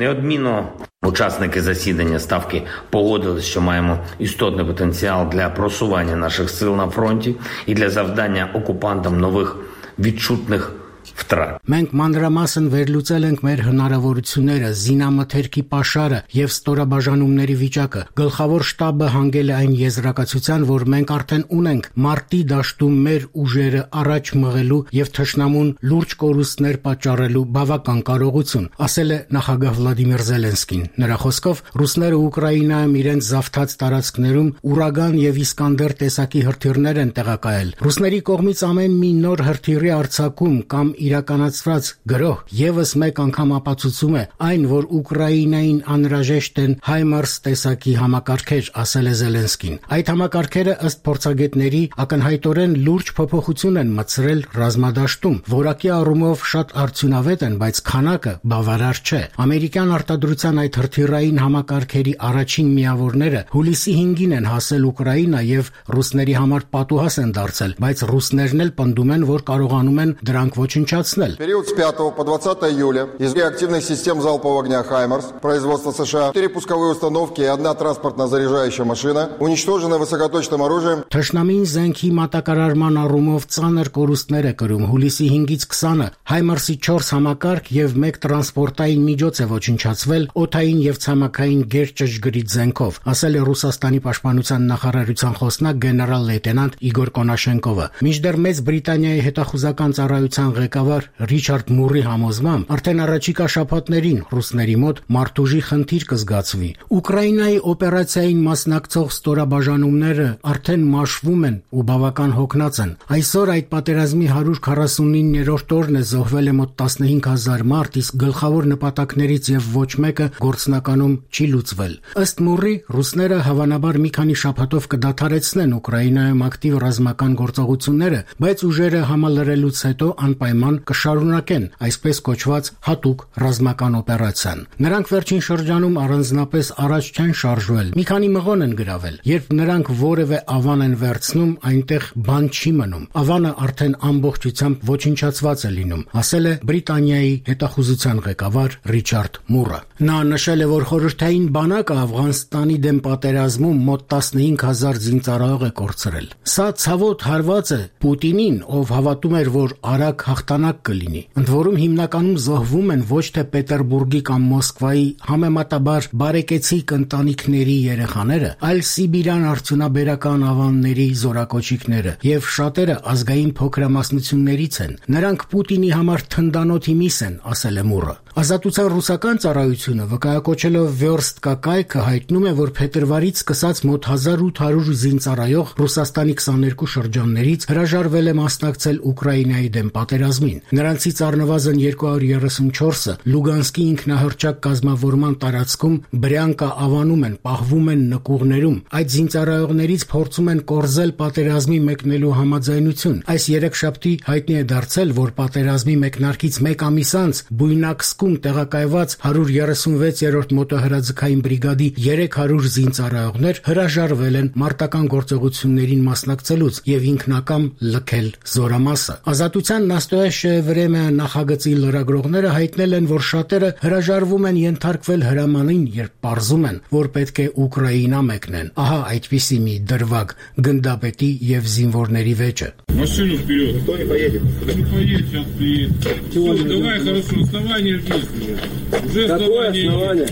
Учасники засідання Ставки погодились, що маємо істотний потенціал для просування наших сил на фронті і для завдання окупантам нових відчутних վտրան։ Մենք մանրամասն վերլուծել ենք մեր հնարավորությունները, զինամթերքի պաշարը եւ ստորաբաժանումների վիճակը։ Գլխավոր շտաբը հանգել է այն եզրակացության, որ մենք արդեն ունենք մարտի դաշտում մեր ուժերը առաջ մղելու եւ թշնամուն լուրջ կորուստներ պատճառելու բավական կարողություն, ասել է նախագահ Վլադիմիր Զելենսկին։ Նրա խոսքով ռուսները Ուկրաինայում իրենց զավթած տարածքներում Ուրագան եւ Իսկանդեր տեսակի հրթիռներ են տեղակայել։ Ռուսների կողմից ամեն մի նոր հրթիռի արձակում կամ իրականացված գրոհ եւս մեկ անգամ ապացուցում է այն, որ Ուկրաինային անհրաժեշտ են HIMARS տեսակի համակարգեր, ասել է Զելենսկին։ Այդ համակարգերը ըստ փորձագետների ակնհայտորեն լուրջ փոփոխություն են մտցրել ռազմադաշտում, որակի առումով շատ արդյունավետ են, բայց քանակը բավարար չէ։ Ամերիկյան արտադրության այդ հրթիռային համակարգերի առաջին միավորները հուլիսի 5-ին են հասել Ուկրաինա եւ ռուսների համար պատուհաս են դարձել, բայց ռուսներն էլ պնդում են, որ կարողանում են дранк ոչնչացնել։ Период с 5 по 20 июля из реактивных систем залпового огня «Хаймарс» производства США 4 пусковые установки и 1 транспортно-заряжающая машина уничтожены высокоточным оружием. Թշնամին զենքի մատակարարման առումով ծանր կորուստներ է կրում։ Հուլիսի 5-ից 20-ը «Հայմարսի» 4 համակարգ եւ 1 տրանսպորտային միջոց է ոչնչացվել օդային եւ ցամաքային գերճշգրիտ զենքով, ասել է Ռուսաստանի պաշտպանության նախարարության խոսնակ գեներալ լեյտենանտ Իգոր Կոնաշենկովը։ Մինչդեռ Մեծ Բրիտանիայի հետախուզական ծառայության ղեկավար Ռիչարդ Մուրի համոզմամբ արդեն առաջիկա շաբաթներին ռուսների մոտ մարտուժի խնդիր կզգացվի։ Ուկրաինայի օպերացիային մասնակցող ստորաբաժանումները արդեն մաշվում են ու բավական հոգնած են։ Այսօր այդ պատերազմի 149-րդ օրն է, զոհվել է մոտ 15000 մարդ, իսկ գլխավոր նպատակներից եւ ոչ մեկը գործնականում չի լուծվել։ Ըստ Մուրի, ռուսները հավանաբար մի քանի շաբաթով կդադարեցնեն Ուկրաինայում ակտիվ ռազմական գործողությունները, բայց ուժերը համալրելուց հետո անպայման կշարունակեն այսպես կոչված հատուկ ռազմական օպերացիան։ Նրանք վերջին շրջանում առանձնապես առաջ չեն շարժվել։ Մի քանի մղոն են գրավել։ Երբ նրանք որևէ ավան են վերցնում, այնտեղ բան չի մնում։ Ավանը արդեն ամբողջությամբ ոչնչացված է լինում, ասել է Բրիտանիայի հետախուզության ղեկավար Ռիչարդ Մուրը։ Նա նշել է, որ խորհրդային բանակը Աֆղանստանի դեմ պատերազմում մոտ 15000 զինծառայող է կորցրել։ Սա ցավոտ հարված է Պուտինին, ով հավատում էր, որ արագ հաղթանակ կլինի։ Ընդ որում հիմնականում զոհվում են ոչ թե Պետերբուրգի կամ Մոսկվայի համեմատաբար բարեկեցիկ ընտանիքների երեխաները, այլ Սիբիրյան արդյունաբերական ավանների զորակոչիկները, եւ շատերը ազգային փոքրամասնություններից են։ Նրանք Պուտինի համար թնդանոթի միս են, ասել է Մուրը։ Ազատության ռուսական ծառայությունը վկայակոչելով Վերստկա կայքը հայտնում է, որ փետրվարից սկսած մոտ 1800 զինծառայող Ռուսաստանի 22 շրջաններից հրաժարվել է մասնակցել Ուկրաինայի դեմ պատերազմին։ Նրանցից առնվազն 234-ը Լուգանսկի ինքնահռչակ կազմավորման տարածքում Բրյանկա ավանում են, պահվում են նկուղներում։ Այդ զինծառայողներից փորձում են կորզել պատերազմի մեկնելու համաձայնություն։ Այս երեքշաբթի հայտնի է դարձել, որ պատերազմի մեկնարկից մեկ ամիս անց Բույնակսկում տեղակայված 136-րդ մոտոհրաձգային բրիգադի 300 զինծառայողներ հրաժարվել են մարտական գործողություններին մասնակցելուց եւ ինքնակամ լքել զորամասը։ Ազատության Նաստոյեշը Վրեմը նախագծի լրագրողները հայտնել են, որ շատերը հրաժարվում են ենթարկվել հրամանին, երբ պարզում են, որ պետք է Ուկրաինա մեկնեն։ Ահա այդպիսի մի դրվագ գնդապետի եւ զինվորների վեճը։ Машину вперед. Кто не поедет? Не поедет, сейчас приедет. Давай, хорошо, основание есть уже. Какое основание?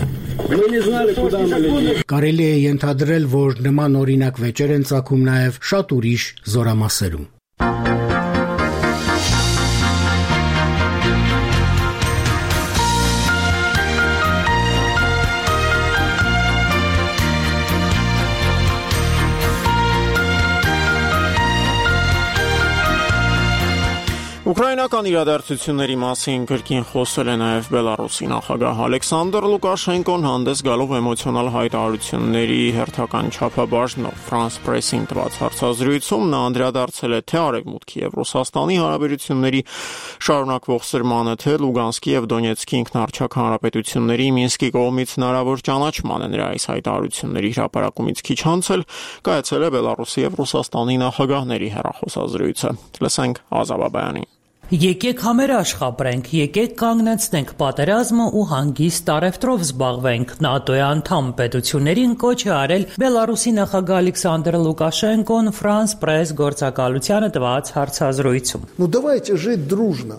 Мы не знали, куда мы летим. Կարելի է ենթադրել, որ նման օրինակ վեճեր են ծագում նաև շատ ուրիշ զորամասերում։ Ուկրաինական իրադարձությունների մասին կրկին խոսել է նաև Բելարուսի նախագահ Ալեքսանդր Լուկաշենկոն, հանդես գալով էմոցիոնալ հայտարարությունների հերթական չափաբաժնով France Press-ին տված հարցազրույցում նա անդրադարձել է թե Արևմուտքի եւ Ռուսաստանի հարաբերությունների շարունակվող սրմանը, թե Լուգանսկի եւ Դոնեցկի ինքնահռչակ հանրապետությունների Մինսկի կողմից հնարավոր ճանաչմանը։ Նրա այս հայտարարությունների հրապարակումից քիչ անց էլ կայացել է Բելարուսի եւ Ռուսաստանի նախագահների հեռախոսազրույցը։ Լսենք Ազաբաբայանին։ Եկեք համերաշխապրենք, եկեք կանգնեցնենք պատերազմը ու հանգիստ առևտրով զբաղվենք։ ՆԱՏՕ-ի անդամ պետություններին կոչ է արել Բելարուսի նախագահ Ալեքսանդր Լուկաշենկոն France Press գործակալությանը տված հարցազրույցում։ Ну давайте жить дружно.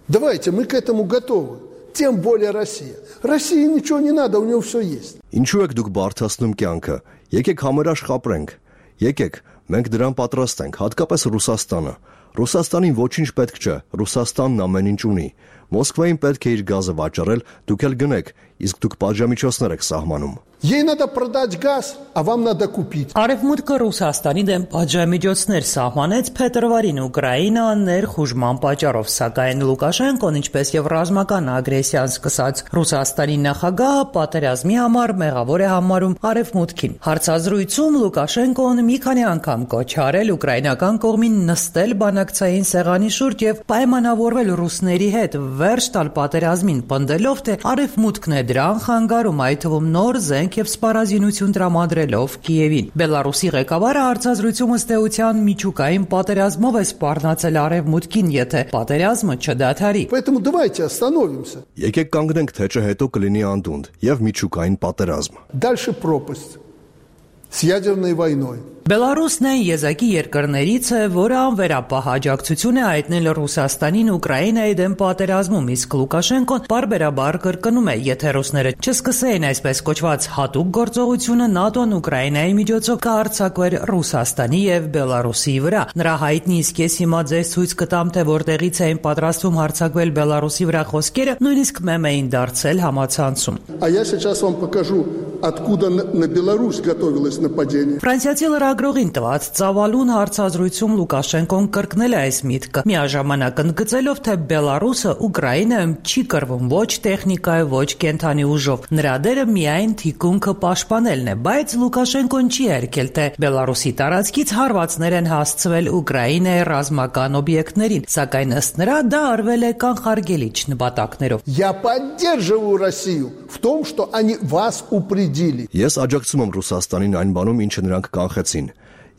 Давайте, мы к этому готовы. Тем более Россия. России ничего не надо, у нее все есть. Ինչու եք դուք բարթացնում կյանքը։ Եկեք համերաշխապրենք։ Եկեք, մենք դրան պատրաստ ենք, հատկապես Ռուսաստանը։ Ռուսաստանին ոչինչ պետք չէ, Ռուսաստանն ամեն ինչ ունի։ Մոսկվային պետք է իր գազը վաճառել, դուք էլ գնեք, իսկ դուք պատժամիջոցներ եք սահմանում։ Ей надо продать газ, а вам надо купить. Արևմուտքը Ռուսաստանի դեմ պատժամիջոցներ սահմանեց փետրվարին Ուկրաինա ներխուժման պատճառով, սակայն Լուկաշենկոն, ինչպես եւ ռազմական ագրեսիան սկսած Ռուսաստանի նախագահը պատերազմի համար մեղավոր է համարում Արևմուտքին։ Հարցազրույցում Լուկաշենկոն մի քանի անգամ կոչ արել ուկրաինական կողմին նստել բանակցային սեղանի շուրջ եւ պայմանավորվել ռուսների հետ վերջ տալ պատերազմին, պնդելով, թե Արևմուտքն է դրան խանգարում, այդ թվում նոր զենք եւ սպառազինություն տրամադրելով Կիևին։ Բելարուսի ղեկավարը հարցազրույցում ըստ էության միջուկային պատերազմով է սպառնացել Արևմուտքին, եթե պատերազմը չդադարի։ Поэтому давайте остановимся. Եկեք կանգնենք, թե հետո կլինի անդունդ եւ միջուկային պատերազմ։ Дальше пропасть с ядерной войной. Բելարուսն այն եզակի երկրներից է, որը անվերապահ աջակցություն է հայտնել Ռուսաստանին Ուկրաինայի դեմ պատերազմում, իսկ Լուկաշենկոն բարբերաբար կրկնում է, եթե ռուսները չսկսեին այսպես կոչված հատուկ գործողությունը, ՆԱՏՕ-ն Ուկրաինայի միջոցով կհարձակվեր Ռուսաստանի եւ Բելարուսի վրա։ Նրա հայտնի «Իսկ ես հիմա ձեզ ցույց կտամ, թե որտեղից էին պատրաստվում հարձակվել Բելարուսի վրա» խոսքերը նույնիսկ մեմ էին դարձել համացանցում։ А я сейчас вам покажу, откуда на Беларусь готовилось нападение. Ֆրանսիացի լրագրողին տված ծավալուն հարցազրույցում Լուկաշենկոն կրկնել է այս միտքը, միաժամանակ ընդգծելով, թե Բելարուսը Ուկրաինայում չի կռվում ոչ տեխնիկայով, ոչ կենթանի ուժով։ Նրա դերը միայն թիկունքը պաշտպանելն է, բայց Լուկաշենկոն չի երգել, թե Բելարուսի տարածքից հարվածներ են հասցվել Ուկրաինայի ռազմական օբյեկտներին, սակայն ըստ նրա դա արվել է կանխարգելիչ նպատակներով։ Я поддерживаю Россию в том, что они вас упредили. Ես աջակցում եմ Ռուսաստանին այն բանում, ինչը նրանք կանխեցին։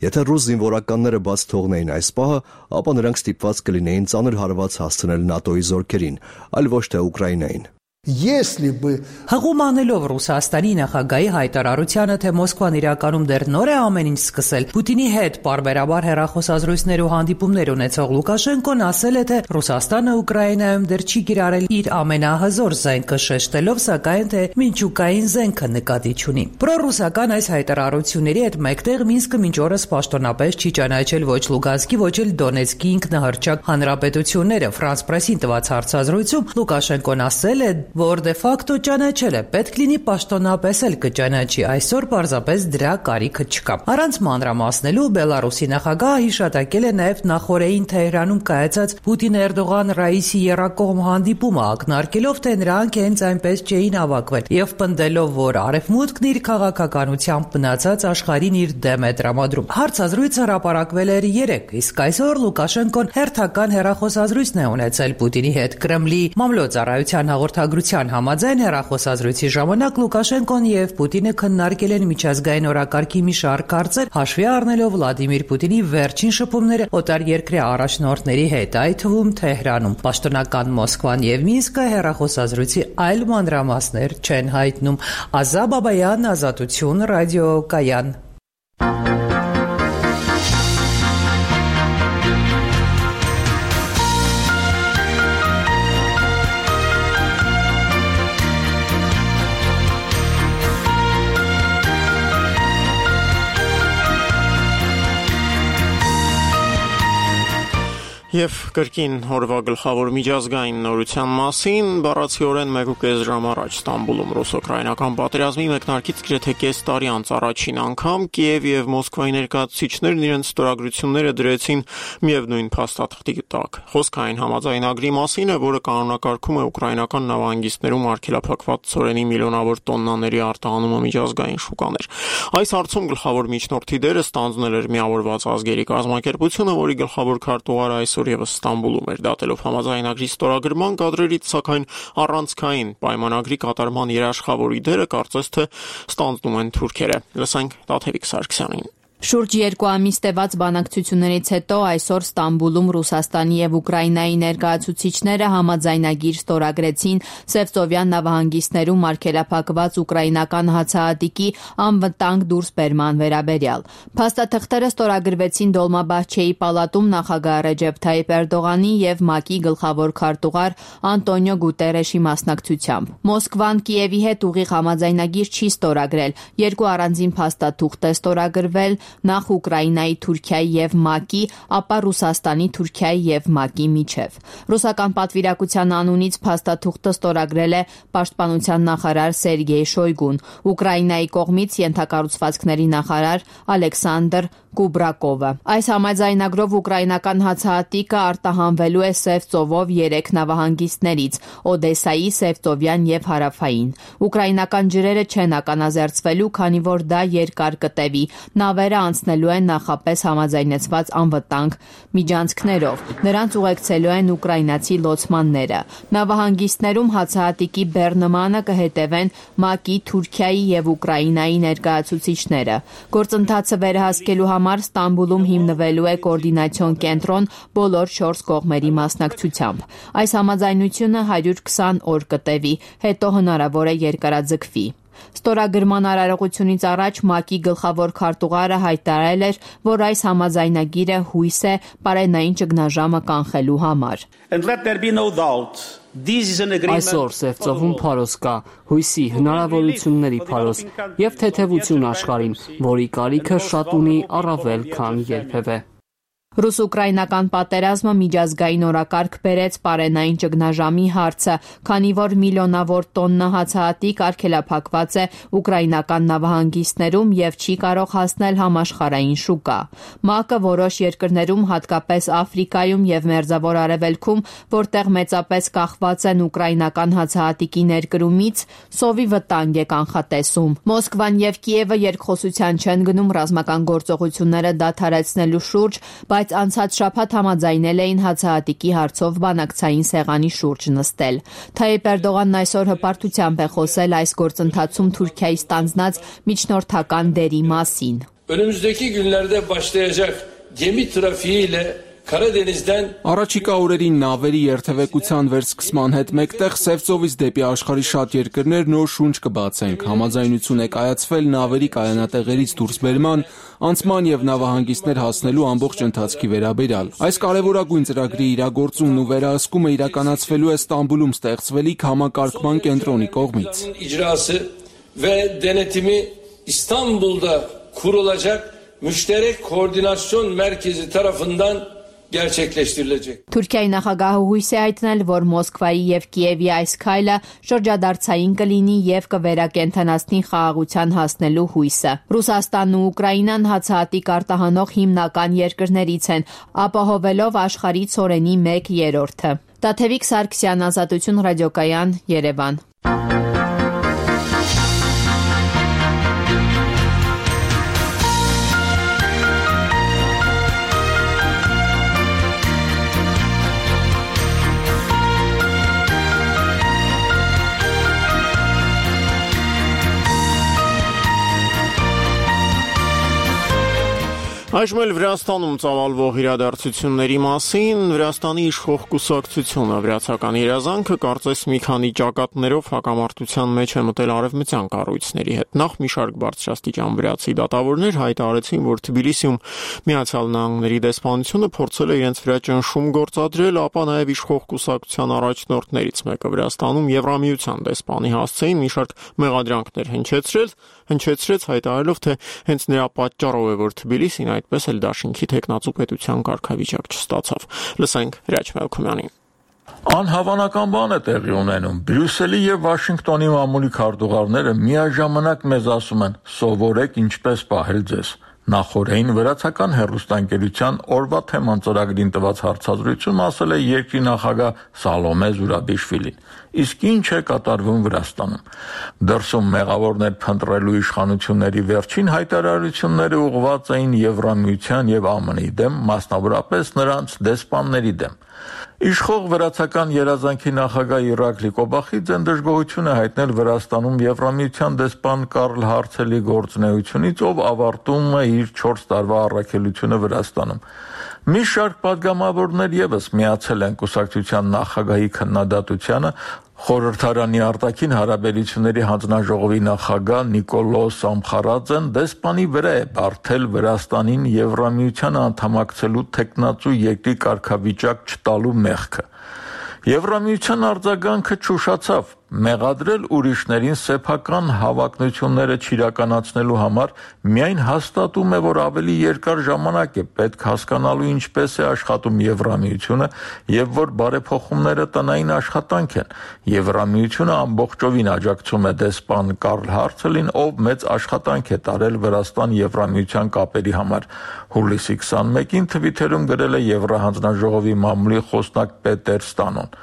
Եթե ռուս զինվորականները բաց թողնեին այս պահը, ապա նրանք ստիպված կլինեին ծանր հարված հասցնել ՆԱՏՕ-ի զորքերին, այլ ոչ թե Ուկրաինային։ Если бы Հղում անելով Ռուսաստանի նախագահի հայտարարությանը, թե Մոսկվան իրականում դեռ նոր է ամեն ինչ սկսել, Պուտինի հետ պարբերաբար հեռախոսազրույցներ ու հանդիպումներ ունեցող Լուկաշենկոն ասել է, թե Ռուսաստանը Ուկրաինայում դեռ չի կիրառել իր ամենահզոր զենքը, շեշտելով սակայն, թե միջուկային զենքը նկատի չունի։ Պրոռուսական այս հայտարարությունների հետ մեկտեղ Մինսկը մինչ օրս պաշտոնապես չի ճանաչել ոչ Լուգանսկի, ոչ էլ Դոնեցկի ինքնահռչակ հանրապետությունները։ Ֆրանս պրեսին տված հարցազրույցում Լուկաշենկոն ասել է, որ դե ֆակտո ճանաչել է, պետք լինի պաշտոնապես էլ կճանաչի, այսօր պարզապես դրա կարիքը չկա։ Առանց մանրամասնելու Բելարուսի նախագահը հիշատակել է նաև նախորդին Թեհրանում կայացած Պուտին-Էրդողան-Ռաիսի եռակողմ հանդիպումը, ակնարկելով, թե նրանք հենց այնպես չէին հավաքվել եւ պնդելով, որ Արևմուտքն իր քաղաքականությամբ մնացած աշխարհին իր դեմ է տրամադրում։ Հարցազրույցը հրապարակվել էր 3, իսկ այսօր Լուկաշենկոն հերթական հեռախոսազրույցն է ունեցել Պուտինի հետ։ Կրեմլի մամլոյցարայության հաղորդագրության համաձայն հեռախոսազրույցի ժամանակ Լուկաշենկոն եւ Պուտինը քննարկել են միջազգային օրակարգի մի շարք հարցեր, հաշվի առնելով Վլադիմիր Պուտինի վերջին շփումները օտարերկրյա առաջնորդների հետ, այդ թվում Թեհրանում։ Պաշտոնական Մոսկվան եւ Մինսկը հեռախոսազրույցի այլ մանրամասներ չեն հայտնում։ Ազա Բաբայան, Ազատություն, ռադիոկայան։ Եվ կրկին օրվա գլխավոր միջազգային նորության մասին բառացիորեն 1.5 ժամ առաջ Ստամբուլում ռուս-ուկրաինական պատերազմի մեկնարկից գրեթե կես տարի անց առաջին անգամ Կիև եւ Մոսկվայի ներկայացուցիչներն իրենց ստորագրությունները դրեցին միևնույն փաստաթղթի տակ։ Խոսքային համաձայնագրի մասին է, որը կանոնակարգում է ուկրաինական նավահանգիստներում արգելափակված ցորենի միլիոնավոր տոննաների արտահանումը միջազգային շուկաներ։ Այս հարցում գլխավոր միջնորդի դերը ստանձնել էր Միավորված ազգերի կազմակերպությունը, որի գլխավոր քարտուղարը այսօր եւս Ստամբուլում էր, դատելով համաձայնագրի ստորագրման կադրերից, սակայն առանցքային պայմանագրի կատարման երաշխավորի դերը կարծես թե ստանձնում են թուրքերը։ Լսենք Տաթևիկ Սարգսյանին։ Շուրջ 2 ամիս տևած բանակցություններից հետո այսօր Ստամբուլում Ռուսաստանի եւ Ուկրաինայի ներկայացուցիչները համաձայնագիր ստորագրեցին Սևծովյան նավահանգիստներում արգելափակված ուկրաինական հացահատիկի անվտանգ դուրսբերման վերաբերյալ։ Փաստաթղթերը ստորագրվեցին Դոլմաբահչեի պալատում նախագահ Ռեջեփ Թայիփ Էրդողանի եւ ՄԱԿ-ի գլխավոր քարտուղար Անտոնիո Գուտերեշի մասնակցությամբ։ Մոսկվան Կիևի հետ ուղիղ համաձայնագիր չի ստորագրել, երկու առանձին փաստաթուղթ է ստորագրվել նախ Ուկրաինայի, Թուրքիայի եւ ՄԱԿ-ի, ապա Ռուսաստանի, Թուրքիայի եւ ՄԱԿ-ի միջև։ Ռուսական պատվիրակության անունից փաստաթուղթը ստորագրել է պաշտպանության նախարար Սերգեյ Շոյգուն, Ուկրաինայի կողմից ենթակառուցվածքների նախարար Ալեքսանդր Կուբրակովը։ Այս համաձայնագրով ուկրաինական հացահատիկը արտահանվելու է Սև ծովով 3 նավահանգիստներից՝ Օդեսայի, Սևծովյան եւ Հարավային։ Ուկրաինական ջրերը չեն ականազերծվելու, քանի որ դա երկար կտևի։ Նավերը անցնելու են նախապես համաձայնեցված անվտանգ միջանցքներով։ Նրանց ուղեկցելու են ուկրաինացի լոցմանները։ Նավահանգիստներում հացահատիկի բեռնմանը կհետևեն ՄԱԿ-ի, Թուրքիայի եւ Ուկրաինայի ներկայացուցիչները։ Գործընթացը վերահսկելու համար Ստամբուլում հիմնվելու է կոորդինացիոն կենտրոն բոլոր 4 կողմերի մասնակցությամբ։ Այս համաձայնությունը 120 օր կտևի, հետո հնարավոր է երկարաձգվի։ Ստորագրման արարողությունից առաջ ՄԱԿ-ի գլխավոր քարտուղարը հայտարարել էր, որ այս համաձայնագիրը հույս է պարենային ճգնաժամը կանխելու համար։ Այսօր Սևծովում փարոս կա, հույսի, հնարավորությունների փարոս եւ թեթևություն աշխարհին, որի կարիքը շատ ունի առավել քան երբևէ։ Ռուս-ուկրաինական պատերազմը միջազգային օրակարգ բերեց պարենային ճգնաժամի հարցը, քանի որ միլիոնավոր տոննա հացահատիկ արգելափակված է ուկրաինական նավահանգիստներում եւ չի կարող հասնել համաշխարհային շուկա։ ՄԱԿ-ը որոշ երկրներում, հատկապես Աֆրիկայում եւ Մերձավոր Արևելքում, որտեղ մեծապես կախված են ուկրաինական հացահատիկի ներկրումից, սովի վտանգ է կանխատեսում։ Մոսկվան եւ Կիևը երկխոսության չեն գնում ռազմական գործողությունները դադարեցնելու շուրջ, բայց անցած շաբաթ համաձայնել էին հացահատիկի հարցով բանակցային սեղանի շուրջ նստել։ Թայիպ Էրդողանն այսօր հպարտությամբ է խոսել այս գործընթացում Թուրքիայի ստանձնած միջնորդական դերի մասին։ Önümüzdeki günlerde başlayacak gemi trafiğiyle Առաջիկա օրերին նավերի երթևեկության վերսկսման հետ մեկտեղ Սևծովից դեպի աշխարհի շատ երկրներ նոր շունչ կբացենք։ Համաձայնություն է կայացվել նավերի կայանատեղերից դուրսբերման, անցման եւ նավահանգիստներ հասնելու ամբողջ ընթացքի վերաբերյալ։ Այս կարևորագույն ծրագրի իրագործումն ու վերահսկումը իրականացվելու է Ստամբուլում ստեղծվելիք համակարգման կենտրոնի կողմից։ Ve denetimi İstanbul'da kurulacak müşterek koordinasyon merkezi tarafından gerçekleştirilecek. Թուրքիայի նախագահը հույս է հայտնել, որ Մոսկվայի եւ Կիևի այս քայլը շրջադարձային կլինի եւ կվերակենդանացնի խաղաղության հասնելու հույսը։ Ռուսաստանն ու Ուկրաինան հացահատիկ արտահանող հիմնական երկրներից են, ապահովելով աշխարհի ցորենի 1/3-ը։ Տաթևիկ Սարգսյան, Ազատություն ռադիոկայան, Երևան։ Այժմ էլ Վրաստանում ծավալվող իրադարձությունների մասին Վրաստանի իշխող կուսակցությունը վրացական երազանքը կարծես մի քանի ճակատներով հակամարտության մեջ է մտել արևմտյան կառույցների հետ։ Նախ մի շարք բարձրաստիճան վրացի դատավորներ հայտարարեցին, որ Թբիլիսիում Միացյալ Նահանգների դեսպանությունը փորձել է իրենց վրա ճնշում գործադրել, ապա նաև իշխող կուսակցության առաջնորդներից մեկը Վրաստանում Եվրամիության դեսպանի հասցեին մի շարք մեղադրանքներ հնչեցրեց հայտարարելով, թե հենց նրա պատճառով է, որ Թբիլիսին այդպես էլ դաշինքի տեխնացու պետության կարգավիճակ չստացավ։ Լսենք Հրաչ Մելքումյանին։ Անհավանական բան է տեղի ունենում։ Բրյուսելի եւ Վաշինգտոնի մամուլի քարտուղարները միաժամանակ մեզ ասում են՝ սովորեք ինչպես պահել ձեզ։ Նախորդին վրացական հեռուստաընկերության օրվա թեման ծրագրին տված հարցազրույցում ասել է երկրի նախագահ Սալոմե Զուրաբիշվիլին։ Իսկ ինչ է կատարվում Վրաստանում։ Դրսում մեղավորներ փնտրելու իշխանությունների վերջին հայտարարությունները ուղղված էին Եվրամիության եւ ԱՄՆ-ի դեմ, մասնավորապես նրանց դեսպանների դեմ։ Իշխող վրացական երազանքի նախագահ Իրակլի Կոբախիձեն դժգոհություն է հայտնել Վրաստանում Եվրամիության դեսպան Կարլ Հարցելի գործունեությունից, ով ավարտում է իր 4 տարվա առաքելությունը Վրաստանում։ Մի շարք падգամավորներ եւս միացել են կուսակցության նախագահի քննադատությանը, Խորհրդարանի արտաքին հարաբերությունների հանձնաժողովի նախագահ Նիկոլոս Ամխարաձեն դեսպանի վրա է բարթել Վրաստանին Եվրամիությանը անդամակցելու տեխնացու երկրի կարգավիճակ չտալու մեղքը։ Եվրամիության արձագանքը չուշացավ։ մեղադրել ուրիշներին սեփական հավակնությունները չիրականացնելու համար միայն հաստատում է, որ ավելի երկար ժամանակ է պետք հասկանալու ինչպես է աշխատում Եվրամիությունը եւ որ բարեփոխումները տնային աշխատանք են։ Եվրամիությունը ամբողջովին աջակցում է դեսպան Կարլ Հարցելին, ով մեծ աշխատանք է տարել Վրաստան-Եվրամիության կապերի համար։ Հուլիսի 21-ին Թվիթերում գրել է Եվրահանձնաժողովի մամուլի խոսնակ Պետեր Ստանոն։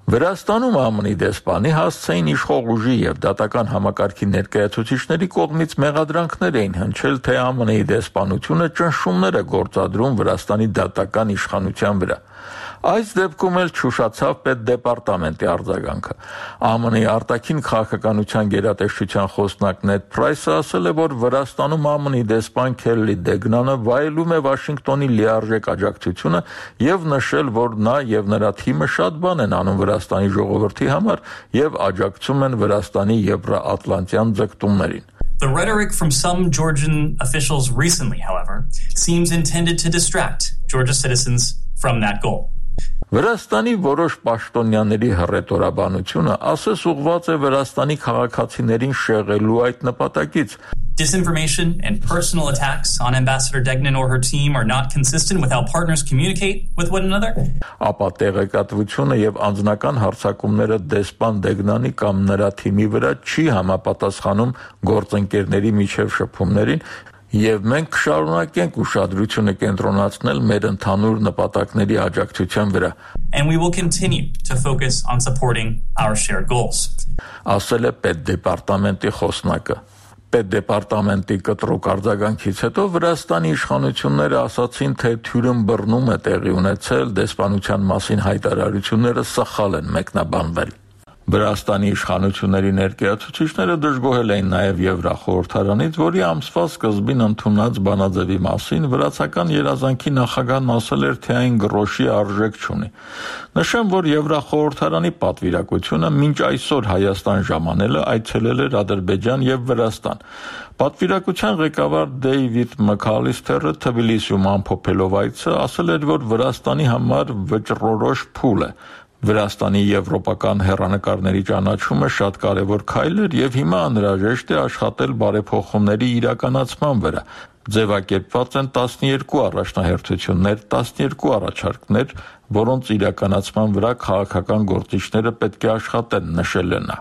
Վրաստանում ԱՄՆ-ի դեսպանի հասցեին իշխող ուժի եւ դատական համակարգի ներկայացուցիչների կողմից մեղադրանքներ էին հնչել, թե ԱՄՆ-ի դեսպանությունը ճնշումներ է գործադրում Վրաստանի դատական իշխանության վրա։ Այս դեպքում էլ չուշացավ պետդեպարտամենտի արձագանքը։ ԱՄՆ-ի արտաքին քաղաքականության գերատեսչության խոսնակ Նեդ Փրայսը ասել է, որ Վրաստանում ԱՄՆ-ի դեսպան Քելլի Դեգնանը վայելում է Վաշինգտոնի լիարժեք աջակցությունը եւ նշել, որ նա եւ նրա թիմը շատ բան են անում Վրաստանի ժողովրդի համար եւ աջակցում են Վրաստանի եվրոատլանտյան ձգտումներին։ The rhetoric from some Georgian officials recently, however, seems intended to distract Georgia citizens from that goal. Վրաստանի որոշ պաշտոնյաների հռետորաբանությունը ասես ուղղված է Վրաստանի քաղաքացիներին շեղելու այդ նպատակից։ Disinformation and personal attacks on Ambassador Degnan or her team are not consistent with how partners communicate with one another. Ապա տեղեկատվությունը եւ անձնական հարձակումները դեսպան Դեգնանի կամ նրա թիմի վրա չի համապատասխանում գործընկերների միջև շփումներին, եւ մենք կշարունակենք ուշադրությունը կենտրոնացնել մեր ընդհանուր նպատակների աջակցության վրա։ And we will continue to focus on supporting our shared goals. Ասել է պետդեպարտամենտի խոսնակը։ Պետդեպարտամենտի կտրուկ արձագանքից հետո Վրաստանի իշխանությունները ասացին, թե թյուրըմբռնում է տեղի ունեցել, դեսպանության մասին հայտարարությունները սխալ են մեկնաբանվել։ Վրաստանի իշխանությունների ներկայացուցիչները դժգոհել էին նաև Եվրախորհրդարանից, որի ամսվա սկզբին ընդունած բանաձևի մասին վրացական երազանքի նախագահն ասել էր, թե այն գրոշի արժեք չունի։ Նշեմ, որ Եվրախորհրդարանի պատվիրակությունը մինչ այսօր Հայաստան ժամանելը այցելել էր Ադրբեջան եւ Վրաստան։ Պատվիրակության ղեկավար Դեյվիդ Մքալիստերը Թբիլիսիում ամփոփելով այցը ասել էր, որ Վրաստանի համար վճռորոշ փուլ է։ Վրաստանի եվրոպական հեռանկարների ճանաչումը շատ կարևոր քայլ էր եւ հիմա անհրաժեշտ է աշխատել բարեփոխումների իրականացման վրա։ Ձևակերպված են 12 առաջնահերթություններ, 12 առաջարկներ, որոնց իրականացման վրա քաղաքական գործիչները պետք է աշխատեն, նշել է նա։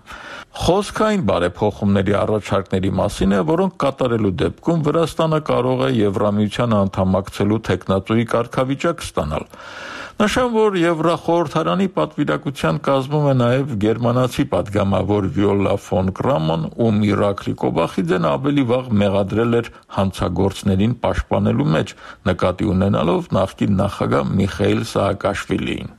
Խոսքը այն բարեփոխումների առաջարկների մասին է, որոնք կատարելու դեպքում Վրաստանը կարող է Եվրամիության անդամակցելու տեխնատուի կարգավիճակ ստանալ։ Նշեմ, որ Եվրախորհրդարանի պատվիրակության կազմում է նաև գերմանացի պատգամավոր Վիոլա ֆոն Կրաման, ում Իրաքլի Կոբախիձեն ավելի վաղ մեղադրել էր հանցագործներին պաշտպանելու մեջ, նկատի ունենալով նախկին նախագահ Միխայիլ Սաակաշվիլիին։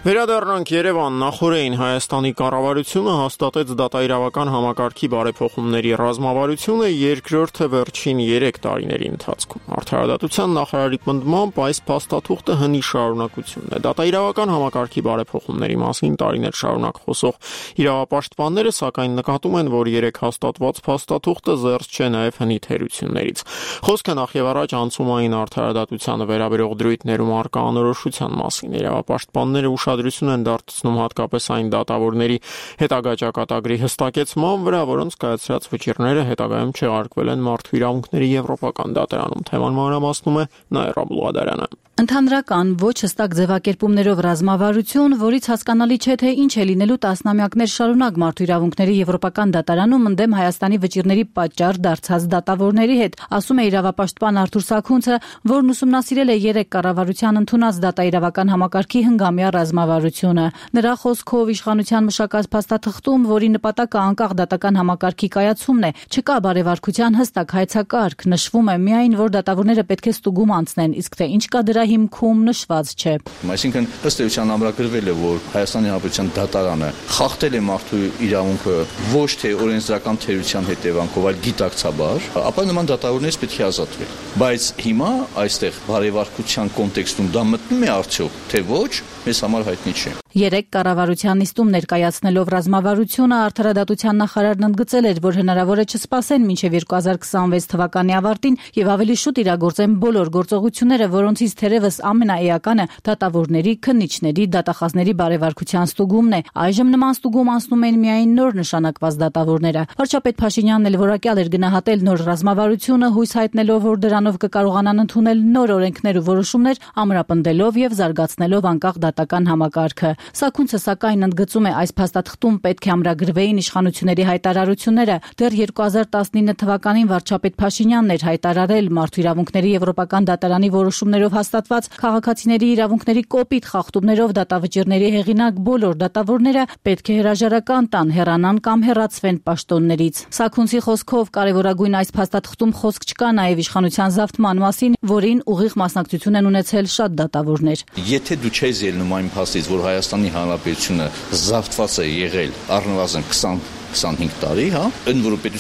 Վերադառնանք Երևան, նախորդին Հայաստանի կառավարությունը հաստատեց դատաիրավական համակարգի բարեփոխումների ռազմավարությունը երկրորդը վերջին 3 տարիների ընթացքում։ Արդարադատության նախարարի պնդմամբ այս փաստաթուղթը հնի շարունակությունն է։ Դատաիրավական համակարգի բարեփոխումների մասին տարիներ շարունակ խոսող իրավապաշտպանները սակայն նկատում են, որ 3 հաստատված փաստաթուղթը զերծ չէ նաև հնի թերություններից։ Խոսքը նախևառաջ անցումային արդարադատությանը վերաբերող դրույթներում առկա անորոշության մասին։ Իրավապաշտպանները ուշադրություն են դարձնում հատկապես այն դատավորների հետագա ճակատագրի հստակեցման վրա, որոնց կայացրած վճիռները հետագայում չեղարկվել են մարդու իրավունքների եվրոպական դատարանում։ Թեման մանրամասնում է Նաիրա Բուլղադարյանը։ Ընդհանրական ոչ հստակ ձևակերպումներով ռազմավարություն, որից հասկանալի չէ, թե ինչ է լինելու տասնամյակներ շարունակ մարդու իրավունքների եվրոպական դատարանում ընդդեմ Հայաստանի վճիռների պատճառ դարձած դատավորների հետ, ասում է իրավապաշտպան Արթուր Սաքունցը, որն ուսումնասիրել է 3 կառավարության ընդունած դատաիրավական համակարգի հնգամյա ռազմավարությունը։ Նրա խոսքով իշխանության մշակած փաստաթղթում, որի նպատակը անկախ դատական համակարգի կայացումն է, չկա բարեվարկության հստակ հայեցակարգ, նշվում է միայն, որ դատավորները պետք է ստուգում անցնեն, իսկ թե ինչ կա դրա հիմքում նշված չէ։ Այսինքն ըստ էության ամրագրվել է, որ Հայաստանի Հանրապետության դատարանը խախտել է մարդու իրավունքը ոչ թե օրենսդրական թերության հետևանքով, այլ գիտակցաբար, ապա նման դատավորներից պետք է ազատվել։ Բայց հիմա այստեղ բարեվարկության կոնտեքստում դա մտնում է արդյոք, թե ոչ, մեզ համար հայտնի չէ։ Երեկ կառավարության նիստում ներկայացնելով ռազմավարությունը արդարադատության նախարարն ընդգծել էր, որ հնարավոր է չսպասեն մինչև 2026 թվականի ավարտին եւ ավելի շուտ իրագործեն բոլոր գործողությունները, որոնցից թերևս ամենաէականը դատավորների, քննիչների, դատախազների բարեվարկության ստուգումն է։ Այժմ նման ստուգում անցնում են միայն նոր նշանակված դատավորները։ Վարչապետ Փաշինյանն էլ որակյալ էր գնահատել նոր ռազմավարությունը, հույս հայտնելով, որ դրանով կկարողանան ընդունել նոր օրենքներ ու որոշումներ, ամրապնդելով եւ զարգացնելով անկախ դատական համակարգը։ Սաքունցը սակայն ընդգծում է, այս փաստաթղթում պետք է ամրագրվեին իշխանությունների հայտարարությունները։ Դեռ 2019 թվականին վարչապետ Փաշինյանն էր հայտարարել մարդու իրավունքների եվրոպական դատարանի որոշումներով հաստատված քաղաքացիների իրավունքների կոպիտ խախտումներով դատավճիռների հեղինակ բոլոր դատավորները պետք է հրաժարական տան, հեռանան կամ հեռացվեն պաշտոններից։ Սաքունցի խոսքով կարևորագույն այս փաստաթղթում խոսք չկա նաև իշխանության զավթման մասին, որին ուղիղ մասնակցություն են ունեցել շատ դատավորներ։ Եթե դու չես ելնում այն փաստից, որ Հայաստանի Հանրապետությունը զավթված է եղել առնվազն 20-25 տարի,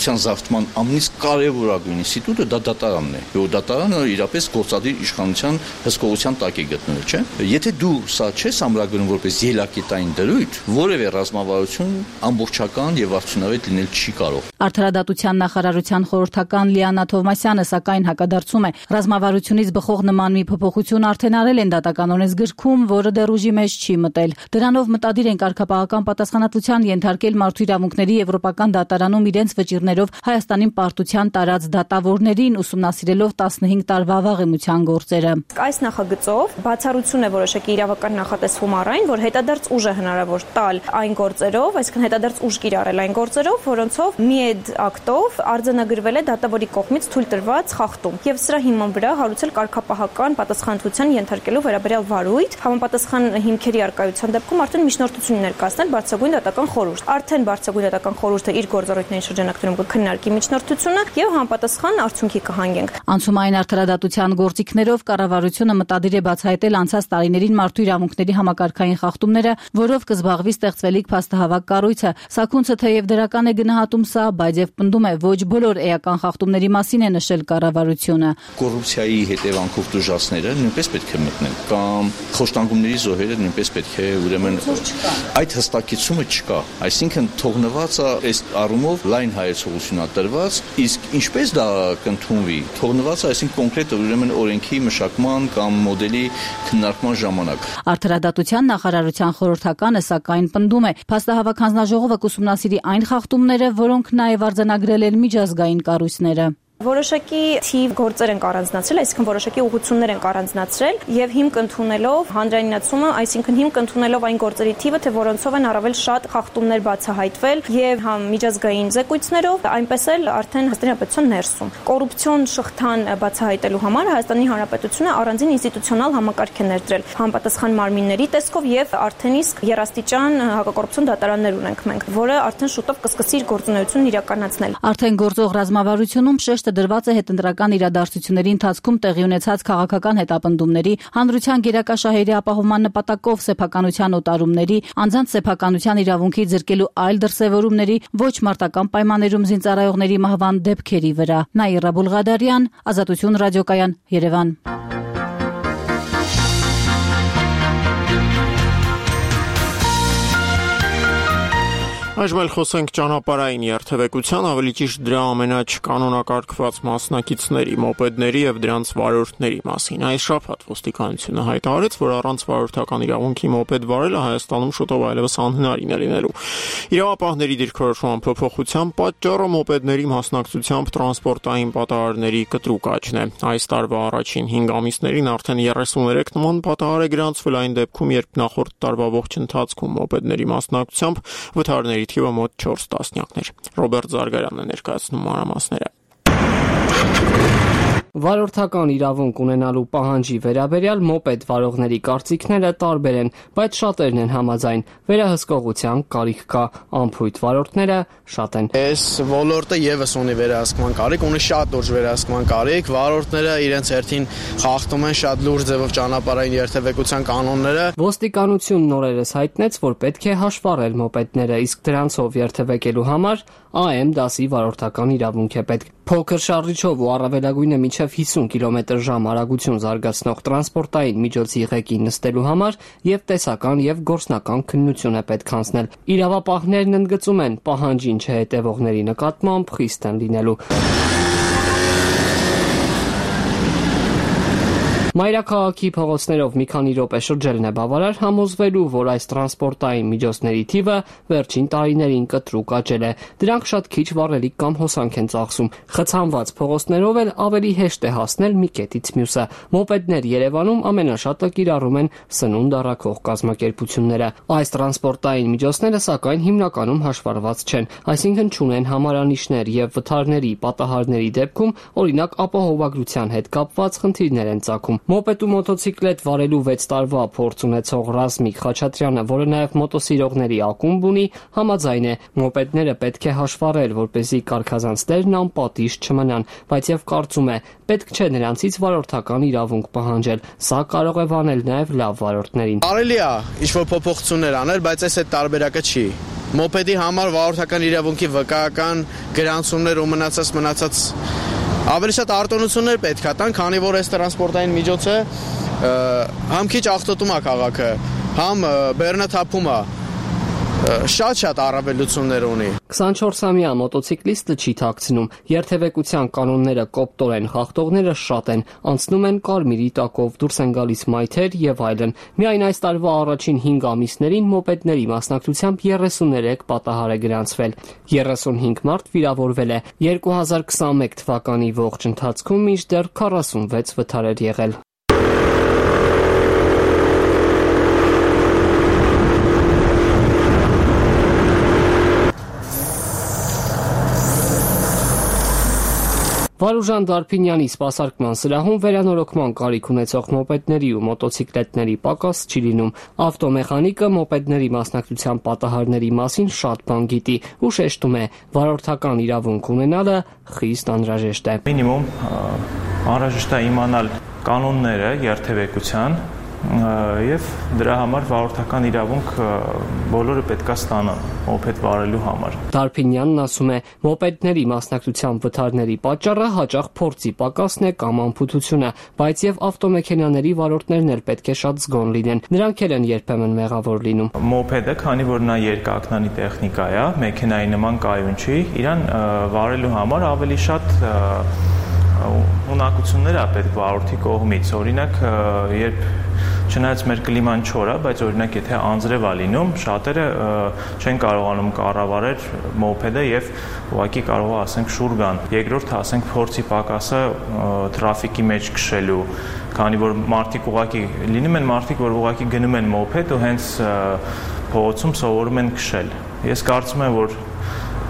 ընկերության զավթման ամենից կարևորագույն ինստիտուտը դա դատարանն է։ Որ դատարանը իրապես գործադիր իշխանության հսկողության տակ է գտնվել, չէ՞։ Եթե դու սա չես ամրագրում որպես ելակետային դրույթ, որևէ ռազմավարություն ամբողջական եւ արդյունավետ լինել չի կարող։ Արդարադատության նախարարության խորհրդական Լիանա Թովմասյանը սակայն հակադարձում է, ռազմավարությունից բխող նման մի փոփոխություն արդեն արել են դատական օրենսգրքում, որը դեռ ուժի մեջ չի մտել։ Դրանով մտադիր են կարգապահական պատասխանատվության ենթարկել մարդու իրավունքների եվրոպական դատարանում իրենց վճիռներով Հայաստանին պարտության տարած դատավորներին, ուսումնասիրելով 15 տարվա վաղեմության գործերը։ Այս նախագծով բացառություն է որոշակի իրավական նախատեսվում առայն, որ հետադարձ ուժ է հնարավոր տալ այն գործերով, այսինքն հետադարձ ուժ կիրառել այն գործերով, որոնցով մի ակտով արձանագրվել է դատավորի կողմից թույլ տրված խախտում եւ սրա հիման վրա հարուցել կարգապահական պատասխանատվության ենթարկելու վերաբերյալ վարույթ, համապատասխան հիմքերի առկայության դեպքում արդեն միջնորդություն ներկայացնել բարձրագույն դատական խորհուրդ։ Արդեն բարձրագույն դատական խորհուրդը իր գործառույթների շրջանակներում կքննարկի միջնորդությունը եւ համապատասխան արդյունքի կհանգենք։ Անցումային արդարադատության գործիքներով կառավարությունը մտադիր է բացահայտել անցած տարիներին մարդու իրավունքների համակարգային խախտումները, որով կզբաղվի ստեղծվելիք փաստահավաք կառույցը։ Սաքունցը թեև դրական է գնահատում սա, բայց եւ պնդում է, ոչ բոլոր էական խախտումների մասին է նշել կառավարությունը։ Կոռուպցիայի հետևանքով դժվարները նույնպես պետք է մտնեն, կամ խոշտանգումների զոհերը նույնպես պետք է ուրեմն այդ հստակեցումը չկա։ Այսինքն թողնվածը այս առումով լայն հայեցողություն է տրված, իսկ ինչպես դա կընդունվի, թողնվածը այսինքն կոնկրետ ուրեմն օրենքի մշակման կամ մոդելի քննարկման ժամանակ։ Արդարադատության նախարարության խորհրդականը սակայն պնդում է, փաստահավաք հանձնաժողովը կուսումնասիրի այն խախտումները, որոնք նաև արձանագրել են միջազգային կառույցները։ Որոշակի թիվ գործեր են առանձնացրել, այսինքն որոշակի ուղղություններ են առանձնացրել եւ հիմք ընդունելով հանրայնացումը, այսինքն հիմք ընդունելով այն գործերի թիվը, թե որոնցով են առավել շատ խախտումներ բացահայտվել եւ համ միջազգային զեկույցներով, այնպես էլ արդեն Հայաստանի Հանրապետության ներսում։ Կոռուպցիոն շղթան բացահայտելու համար Հայաստանի Հանրապետությունը առանձին ինստիտուցիոնալ համակարգ է ներդրել համապատասխան մարմինների տեսքով եւ արդեն իսկ երաստիճան հակակոռուպցիոն դատարաններ ունենք մենք, որը արդեն շուտով կսկսի իր գործունեությունն իրականացնել։ Արդեն գործող ռազմավարությունում շեշտը դրված է հետընտրական իրադարձությունների ընթացքում տեղի ունեցած քաղաքական հետապնդումների, հանրության գերակա շահերի ապահովման նպատակով սեփականության օտարումների, անձանց սեփականության իրավունքի ձեռքելու այլ դրսևորումների, ոչ մարտական պայմաններում զինծառայողների մահվան դեպքերի վրա։ Նաիրա Բուլղադարյան, Ազատություն ռադիոկայան, Երևան։ Այժմ էլ խոսենք ճանապարհային երթևեկության, ավելի ճիշտ դրա ամենաչկանոնակարգված մասնակիցների, մոպեդների եւ դրանց վարորդների մասին։ Այս շաբաթ ոստիկանությունը հայտարարեց, որ առանց վարորդական իրավունքի մոպեդ վարելը Հայաստանում շուտով այլևս անհնարին է լինելու։ Իրավապահների դիրքորոշման փոփոխության պատճառը մոպեդների մասնակցությամբ տրանսպորտային պատահարների կտրուկ աճն է։ Այս տարվա առաջին 5 ամիսներին արդեն 33 նման պատահար է գրանցվել այն դեպքում, երբ նախորդ տարվա ողջ ընթացքում մոպեդների մասնակցությամբ վթարների թիվը մոտ 4 տասնյակներ։ Ռոբերտ Զարգարյանն է ներկայացնում մանրամասները։ Վարորդական իրավունք ունենալու պահանջի վերաբերյալ մոպեդ վարողների կարծիքները տարբեր են, բայց շատերն են համաձայն։ Վերահսկողության կարիք կա, անփույթ վարորդները շատ են։ Այս ոլորտը եւս ունի վերահսկման կարիք, ունի շատ լուրջ վերահսկման կարիք, վարորդները իրենց հերթին խախտում են շատ լուրջ ձևով ճանապարհային երթևեկության կանոնները։ Ոստիկանությունն օրերս հայտնեց, որ պետք է հաշվառել մոպեդները, իսկ դրանցով երթևեկելու համար AM դասի վարորդական իրավունք է պետք։ Փոքր շարժիչով ու առավելագույնը մինչև 50 կմ/ժ արագություն զարգացնող տրանսպորտային միջոցի ղեկին նստելու համար եւ տեսական եւ գործնական քննություն է պետք անցնել։ Իրավապահներն ընդգծում են, պահանջին չհետևողների նկատմամբ խիստ են լինելու։ Մայրաքաղաքի փողոցներով մի քանի րոպե շրջելն է բավարար համոզվելու, որ այս տրանսպորտային միջոցների թիվը վերջին տարիներին կտրուկ աճել է։ Դրանք շատ քիչ վառելիք կամ հոսանք են ծախսում։ Խցանված փողոցներով էլ ավելի հեշտ է հասնել մի կետից մյուսը։ Մոպեդներ Երևանում ամենաշատը կիրառում են սնունդ առաքող կազմակերպությունները։ Այս տրանսպորտային միջոցները սակայն հիմնականում հաշվառված չեն, այսինքն չունեն համարանիշներ եւ վթարների պատահարների դեպքում, օրինակ, ապահովագրության հետ կապված խնդիրներ են ծագում։ Մոպեդ ու մոտոցիկլետ վարելու 6 տարվա փորձ ունեցող Ռազմիկ Խաչատրյանը, որը նաև մոտոսիրողների ակումբ ունի, համաձայն է, մոպեդները պետք է հաշվառել, որպեսզի կարգազանցներն անպատիժ չմնան, բայց եւ կարծում է, պետք չէ նրանցից վարորդական իրավունք պահանջել, սա կարող է վանել նաև լավ վարորդներին։ Կարելի է ինչ-որ փոփոխություններ անել, բայց այս այդ տարբերակը չի։ Մոպեդի համար վարորդական իրավունքի վկայական գրանցումներ ու մնացած ավելի շատ արտոնություններ պետք է տան, քանի որ այս տրանսպորտային միջոցը համ քիչ աղտոտում է քաղաքը, համ բեռնաթափում է, շատ առավելություններ ունի։ 24-ամյա մոտոցիկլիստը չի թաքցնում, երթևեկության կանոնները կոպտորեն խախտողները շատ են, անցնում են կարմիրի տակով, դուրս են գալիս մայթեր եւ այլն։ Միայն այս տարվա առաջին 5 ամիսներին մոպեդների մասնակցությամբ 33 պատահար է գրանցվել։ 35 մարդ վիրավորվել է։ 2021 թվականի ողջ ընթացքում մինչդեռ 46 վթար էր եղել։ Վարուժան Դարփինյանի սպասարկման սրահում վերանորոգման կարիք ունեցող մոպեդների ու մոտոցիկլետների պակաս չի լինում։ Ավտոմեխանիկը մոպեդների մասնակցության պատահարների մասին շատ բան գիտի ու շեշտում է, վարորդական իրավունք ունենալը խիստ անհրաժեշտ է։ Մինիմում անհրաժեշտ է իմանալ կանոնները երթևեկության եւ դրա համար վարորդական իրավունք բոլորը պետքա ստանան մոպեդ վարելու համար։ Դարփինյանն ասում է, մոպեդների մասնակցության վթարների պատճառը հաճախ փորձի պակասն է կամ անփութությունը, բայց եւ ավտոմեքենաների վարորդներն էլ պետք է շատ զգոն լինեն։ Նրանք էլ են երբեմն մեղավոր լինում։ Մոպեդը, քանի որ նա երկակնանի տեխնիկա է, մեքենայի նման կայուն չի, իրան վարելու համար ավելի շատ ունակություններ է պետք վարորդի կողմից։ Օրինակ, երբ չնայած մեր կլիման չոր է, բայց օրինակ եթե անձրև է լինում, շատերը չեն կարողանում կառավարել մոպեդը եւ ուղղակի կարող է ասենք շուռ գան։ Երկրորդը ասենք փորձի պակասը տրաֆիկի մեջ քշելու, քանի որ մարդիկ ուղղակի լինում են մարդիկ, որ ուղղակի գնում են մոպեդ ու հենց փողոցում սովորում են քշել։ Ես կարծում եմ, որ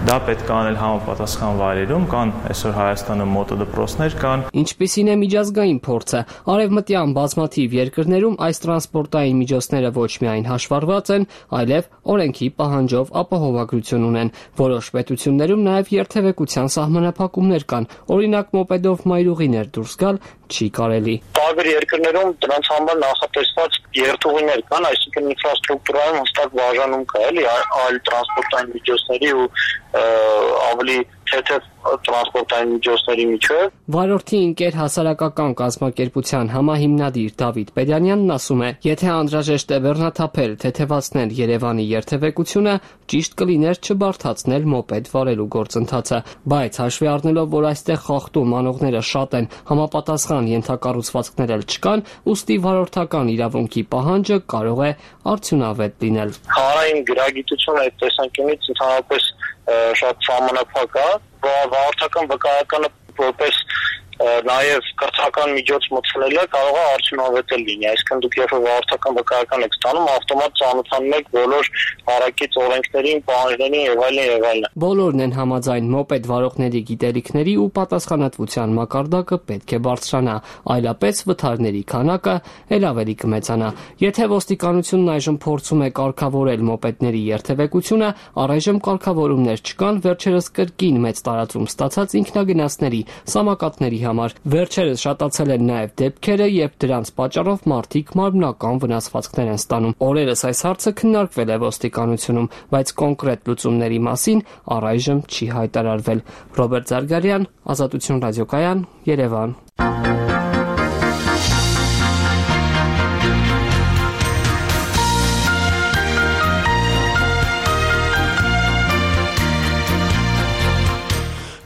դա պետք է անել համապատասխան վայրերում, կան այսօր Հայաստանում մոտոդպրոցներ կան։ Ինչպիսին է միջազգային փորձը։ Արևմտյան բազմաթիվ երկրներում այս տրանսպորտային միջոցները ոչ միայն հաշվառված են, այլև օրենքի պահանջով ապահովագրություն ունեն։ Որոշ պետություններում նաև երթևեկության սահմանափակումներ կան։ Օրինակ մոպեդով մայրուղիներ դուրս գալ չի կարելի։ Տարբեր երկրներում դրանց համար նախատեսված երթուղիներ կան, այսինքն ինֆրաստրուկտուրայում հստակ բաժանում կա, էլի, այլ տրանսպորտային միջոցների ու ավելի թեթև տրանսպորտային միջոցների միջև։ Վարորդի ընկեր հասարակական կազմակերպության համահիմնադիր Դավիթ Պետյանյանն ասում է, եթե անհրաժեշտ է բեռնաթափել, թեթևացնել Երևանի երթևեկությունը, ճիշտ կլիներ չբարթացնել մոպեդ վարելու գործընթացը, բայց հաշվի առնելով, որ այստեղ խախտում անողները շատ են, համապատասխան ենթակառուցվածքներ էլ չկան, ուստի վարորդական իրավունքի պահանջը կարող է արդյունավետ լինել։ Հանրային գրագիտությունը այդ տեսանկյունից ընդհանրապես շատ սահմանափակ է, վարորդական վկայականը որպես նաև կրթական միջոց մտցնելը կարող է արդյունավետ լինի, այսինքն դուք երբ վարորդական վկայական եք ստանում, ավտոմատ ծանոթանում եք բոլոր հարակից օրենքներին, պահանջներին եւ այլն։ Բոլորն են համաձայն, մոպեդ վարողների գիտելիքների ու պատասխանատվության մակարդակը պետք է բարձրանա, այլապես վթարների քանակը ել ավելի կմեծանա։ Եթե ոստիկանությունն այժմ փորձում է կարգավորել մոպեդների երթևեկությունը, առայժմ կարգավորումներ չկան, վերջերս կրկին մեծ տարածում ստացած ինքնագնացների, սամокатների համար։ Վերջերս շատացել են նաև դեպքերը, երբ դրանց պատճառով մարդիկ մարմնական վնասվածքներ են ստանում։ Օրերս այս հարցը քննարկվել է ոստիկանությունում, բայց կոնկրետ լուծումների մասին առայժմ չի հայտարարվել։ Ռոբերտ Զարգարյան, Ազատություն ռադիոկայան, Երևան։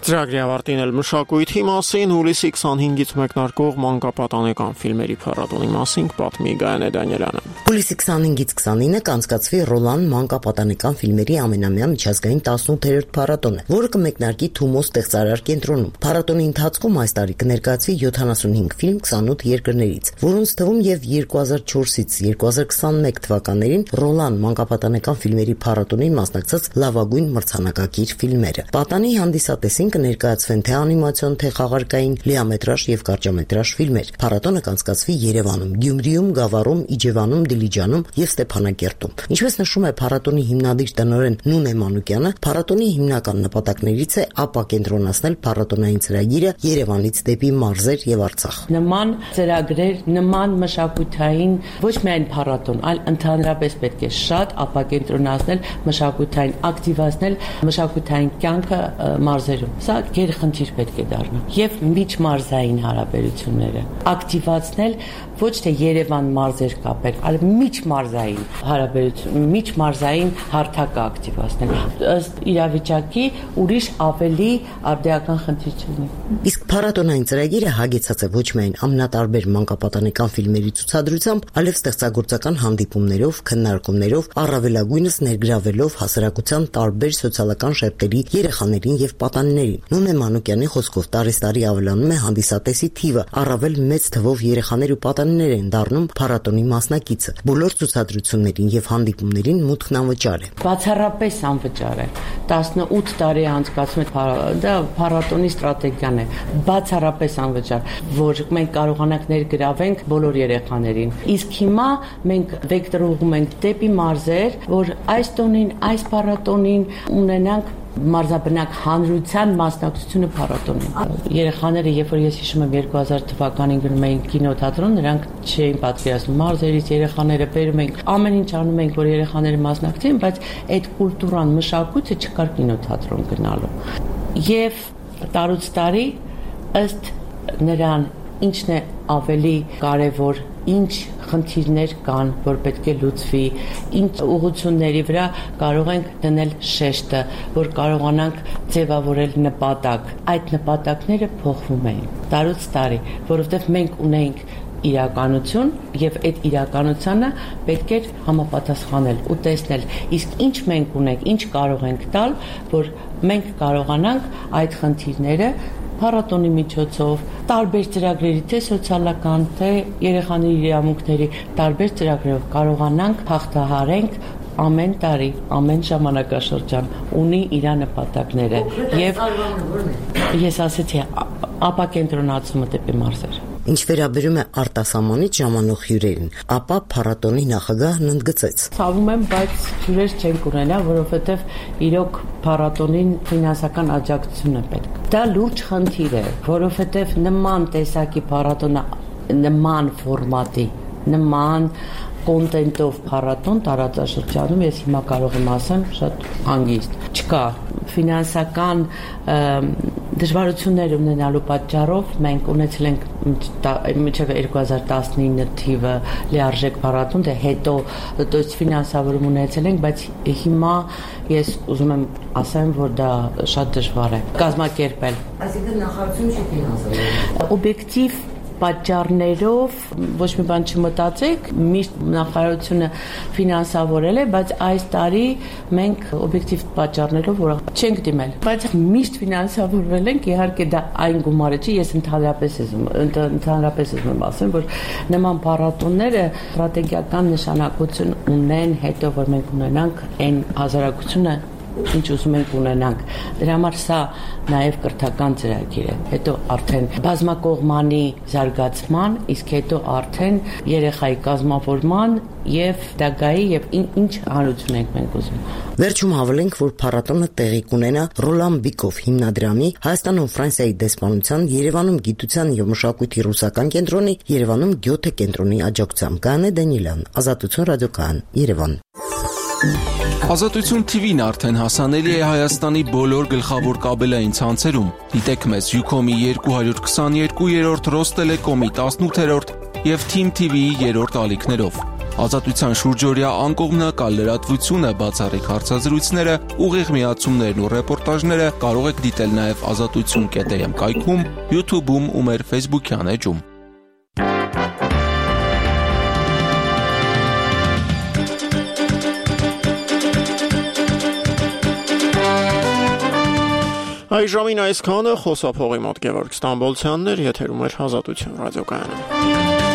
Ծրագրի ավարտին էլ մշակույթի մասին հուլիսի 25-ից մեկնարկող մանկապատանեկան ֆիլմերի փառատոնի մասին պատմի Գայանե Դանիելյանը։ Հուլիսի 25-ից 29-ը կանցկացվի Ռոլան մանկապատանեկան ֆիլմերի ամենամյա միջազգային 18-րդ փառատոնը, որը կմեկնարկի Թումո ստեղծարար կենտրոնում։ Փառատոնի ընթացքում այս տարի կներկայացվի 75 ֆիլմ 28 երկրներից, որոնց թվում եւ 2004-ից 2021 թվականներին Ռոլան մանկապատանեկան ֆիլմերի փառատոնին մասնակցած լավագույն մրցանակակիր ֆիլմերը։ Պատանի հանդիսատեսին ներկայացվեն թե անիմացիոն, թե խաղարկային, լիամետրաժ եւ կարճամետրաժ ֆիլմեր։ Փառատոնը կանցկացվի Երևանում, Գյումրիում, Գավառում, Իջևանում, Դիլիջանում եւ Ստեփանակերտում։ Ինչպես նշում է փառատոնի հիմնադիր տնօրեն Նունե Մանուկյանը, փառատոնի հիմնական նպատակներից է ապակենտրոնացնել փառատոնային ծրագիրը Երևանից դեպի մարզեր եւ Արցախ։ Նման ծրագրեր, նման մշակութային ոչ միայն փառատոն, այլ ընդհանրապես պետք է շատ ապակենտրոնացնել, մշակութային ակտիվացնել մշակութային կյանքը մարզերում։ Սա գերխնդիր պետք է դառնա եւ միջմարզային հարաբերությունները ակտիվացնել, ոչ թե Երևան մարզեր կապել, այլ միջմարզային հարաբերություն, միջմարզային հարթակը ակտիվացնել։ Ըստ իրավիճակի ուրիշ ավելի արդիական խնդիր չլինի։ Իսկ փառատոնային ծրագիրը հագեցած է ոչ միայն ամենատարբեր մանկապատանեկան ֆիլմերի ցուցադրությամբ, այլև ստեղծագործական հանդիպումներով, քննարկումներով, առավելագույնս ներգրավելով հասարակության տարբեր սոցիալական շերտերի երեխաներին եւ պատանիներին։ Նունե Մանուկյանի խոսքով տարեստարի ավելանում է հանդիսատեսի թիվը, առավել մեծ թվով երեխաներ ու պատանիներ են դառնում փառատոնի մասնակիցը։ Բոլոր ցուցադրություններին եւ հանդիպումներին մուտքն անվճար է։ Բացառապես անվճար է։ 18 տարի անցկացում է դա փառատոնի ստրատեգիան է։ Բացառապես անվճար, որ մենք կարողանանք ներգրավենք բոլոր երեխաներին։ Իսկ հիմա մենք վեկտորում ենք դեպի մարզեր, որ այս տոնին, այս փառատոնին ունենանք մարզաբնակ հանրության մասնակցությունը փառատոնին։ Երեխաները, երբ որ ես հիշում եմ 2000 թվականին գնում էին կինոթատրոն, նրանք չէին պատկերացնում մարզերից երեխաները բերում ենք, ամեն ինչ անում ենք, որ երեխաները մասնակցեն, բայց այդ կուլտուրան, մշակույթը չկար կինոթատրոն գնալու։ Եվ տարուց տարի ըստ նրան ինչն է ավելի կարևոր, ինչ խնդիրներ կան, որ պետք է լուծվի, ինչ ուղղությունների վրա կարող ենք դնել շեշտը, որ կարողանանք ձևավորել նպատակ։ Այդ նպատակները փոխվում են տարուց տարի, որովհետև մենք ունենք իրականություն եւ այդ իրականությանը պետք է համապատասխանել ու տեսնել, իսկ ինչ մենք ունենք, ինչ կարող ենք տալ, որ մենք կարողանանք այդ խնդիրները փառատոնի միջոցով, տարբեր ծրագրերի, թե սոցիալական, թե երեխաների իրավունքների տարբեր ծրագրերով կարողանանք հաղթահարենք ամեն տարի, ամեն ժամանակաշրջան ունի իր նպատակները եւ ես ասեցի ապակենտրոնացումը դեպի մարզեր։ Ինչ վերաբերում է արտասահմանից ժամանող հյուրերին, ապա փառատոնի նախագահն ընդգծեց. Ցավում եմ, բայց հյուրեր չենք ունենա, որովհետև իրոք փառատոնին ֆինանսական աջակցություն է պետք։ Դա լուրջ խնդիր է, որովհետև նման տեսակի փառատոնը, նման ֆորմատի, նման կոնտենտով փառատոն տարածաշրջանում ես հիմա կարող եմ ասեմ շատ հանգիստ չկա ֆինանսական դժվարություններ ունենալու պատճառով մենք ունեցել ենք մինչև 2019 թիվը լիարժեք փառատոն, դե հետո ֆինանսավորում ունեցել ենք, բայց հիմա ես ուզում եմ ասեմ, որ դա շատ դժվար է կազմակերպել։ Այսինքն նախարարություն չի ֆինանսավորում։ Օբյեկտիվ պատճառներով ոչ մի բան չմտածեք, միշտ նախարարությունը ֆինանսավորել է, բայց այս տարի մենք օբյեկտիվ պատճառներով որ չենք դիմել, բայց միշտ ֆինանսավորվել ենք, իհարկե դա այն գումարը չի, ես ընդհանրապես եմ ասեմ, որ նման փառատոնները ստրատեգիական նշանակություն ունեն, հետո որ մենք ունենանք այն հասարակությունը ինչ ուզում ենք ունենանք։ Դրա համար սա նաև կրթական ծրագիր է։ Հետո արդեն բազմակողմանի զարգացման, իսկ հետո արդեն երեխայի կազմավորման եւ դագայի եւ ինչ հանրություն ենք մենք ուզում։ Վերջում հավելենք, որ փառատոնը տեղի կունենա Ռոլան Բիկով հիմնադրամի, Հայաստանում Ֆրանսիայի դեսպանության, Երևանում Գիտության եւ մշակույթի ռուսական կենտրոնի, Երևանում Գյոթե կենտրոնի աջակցությամբ։ Կանե Դանիելյան, Ազատություն ռադիոկայան, Երևան։ Ազատություն TV-ն արդեն հասանելի է Հայաստանի բոլոր գլխավոր կաբելային ցանցերում։ Դիտեք մեզ Ucom-ի 222-րդ, Ռոստելեկոմի 18-րդ եւ Team TV-ի 3-րդ ալիքներով։ Ազատության շուրջօրյա անկողմնակալ լրատվությունը, բացառիկ հարցազրույցները, ուղիղ միացումներն ու ռեպորտաժները կարող եք դիտել նաև azatutsun.am կայքում, YouTube-ում ու մեր Facebook-յան էջում։ Այժմին այսքանը խոսափողի մոտ Գևորգ Ստամբոլցյանն էր, եթերում էր Ազատություն ռադիոկայանը։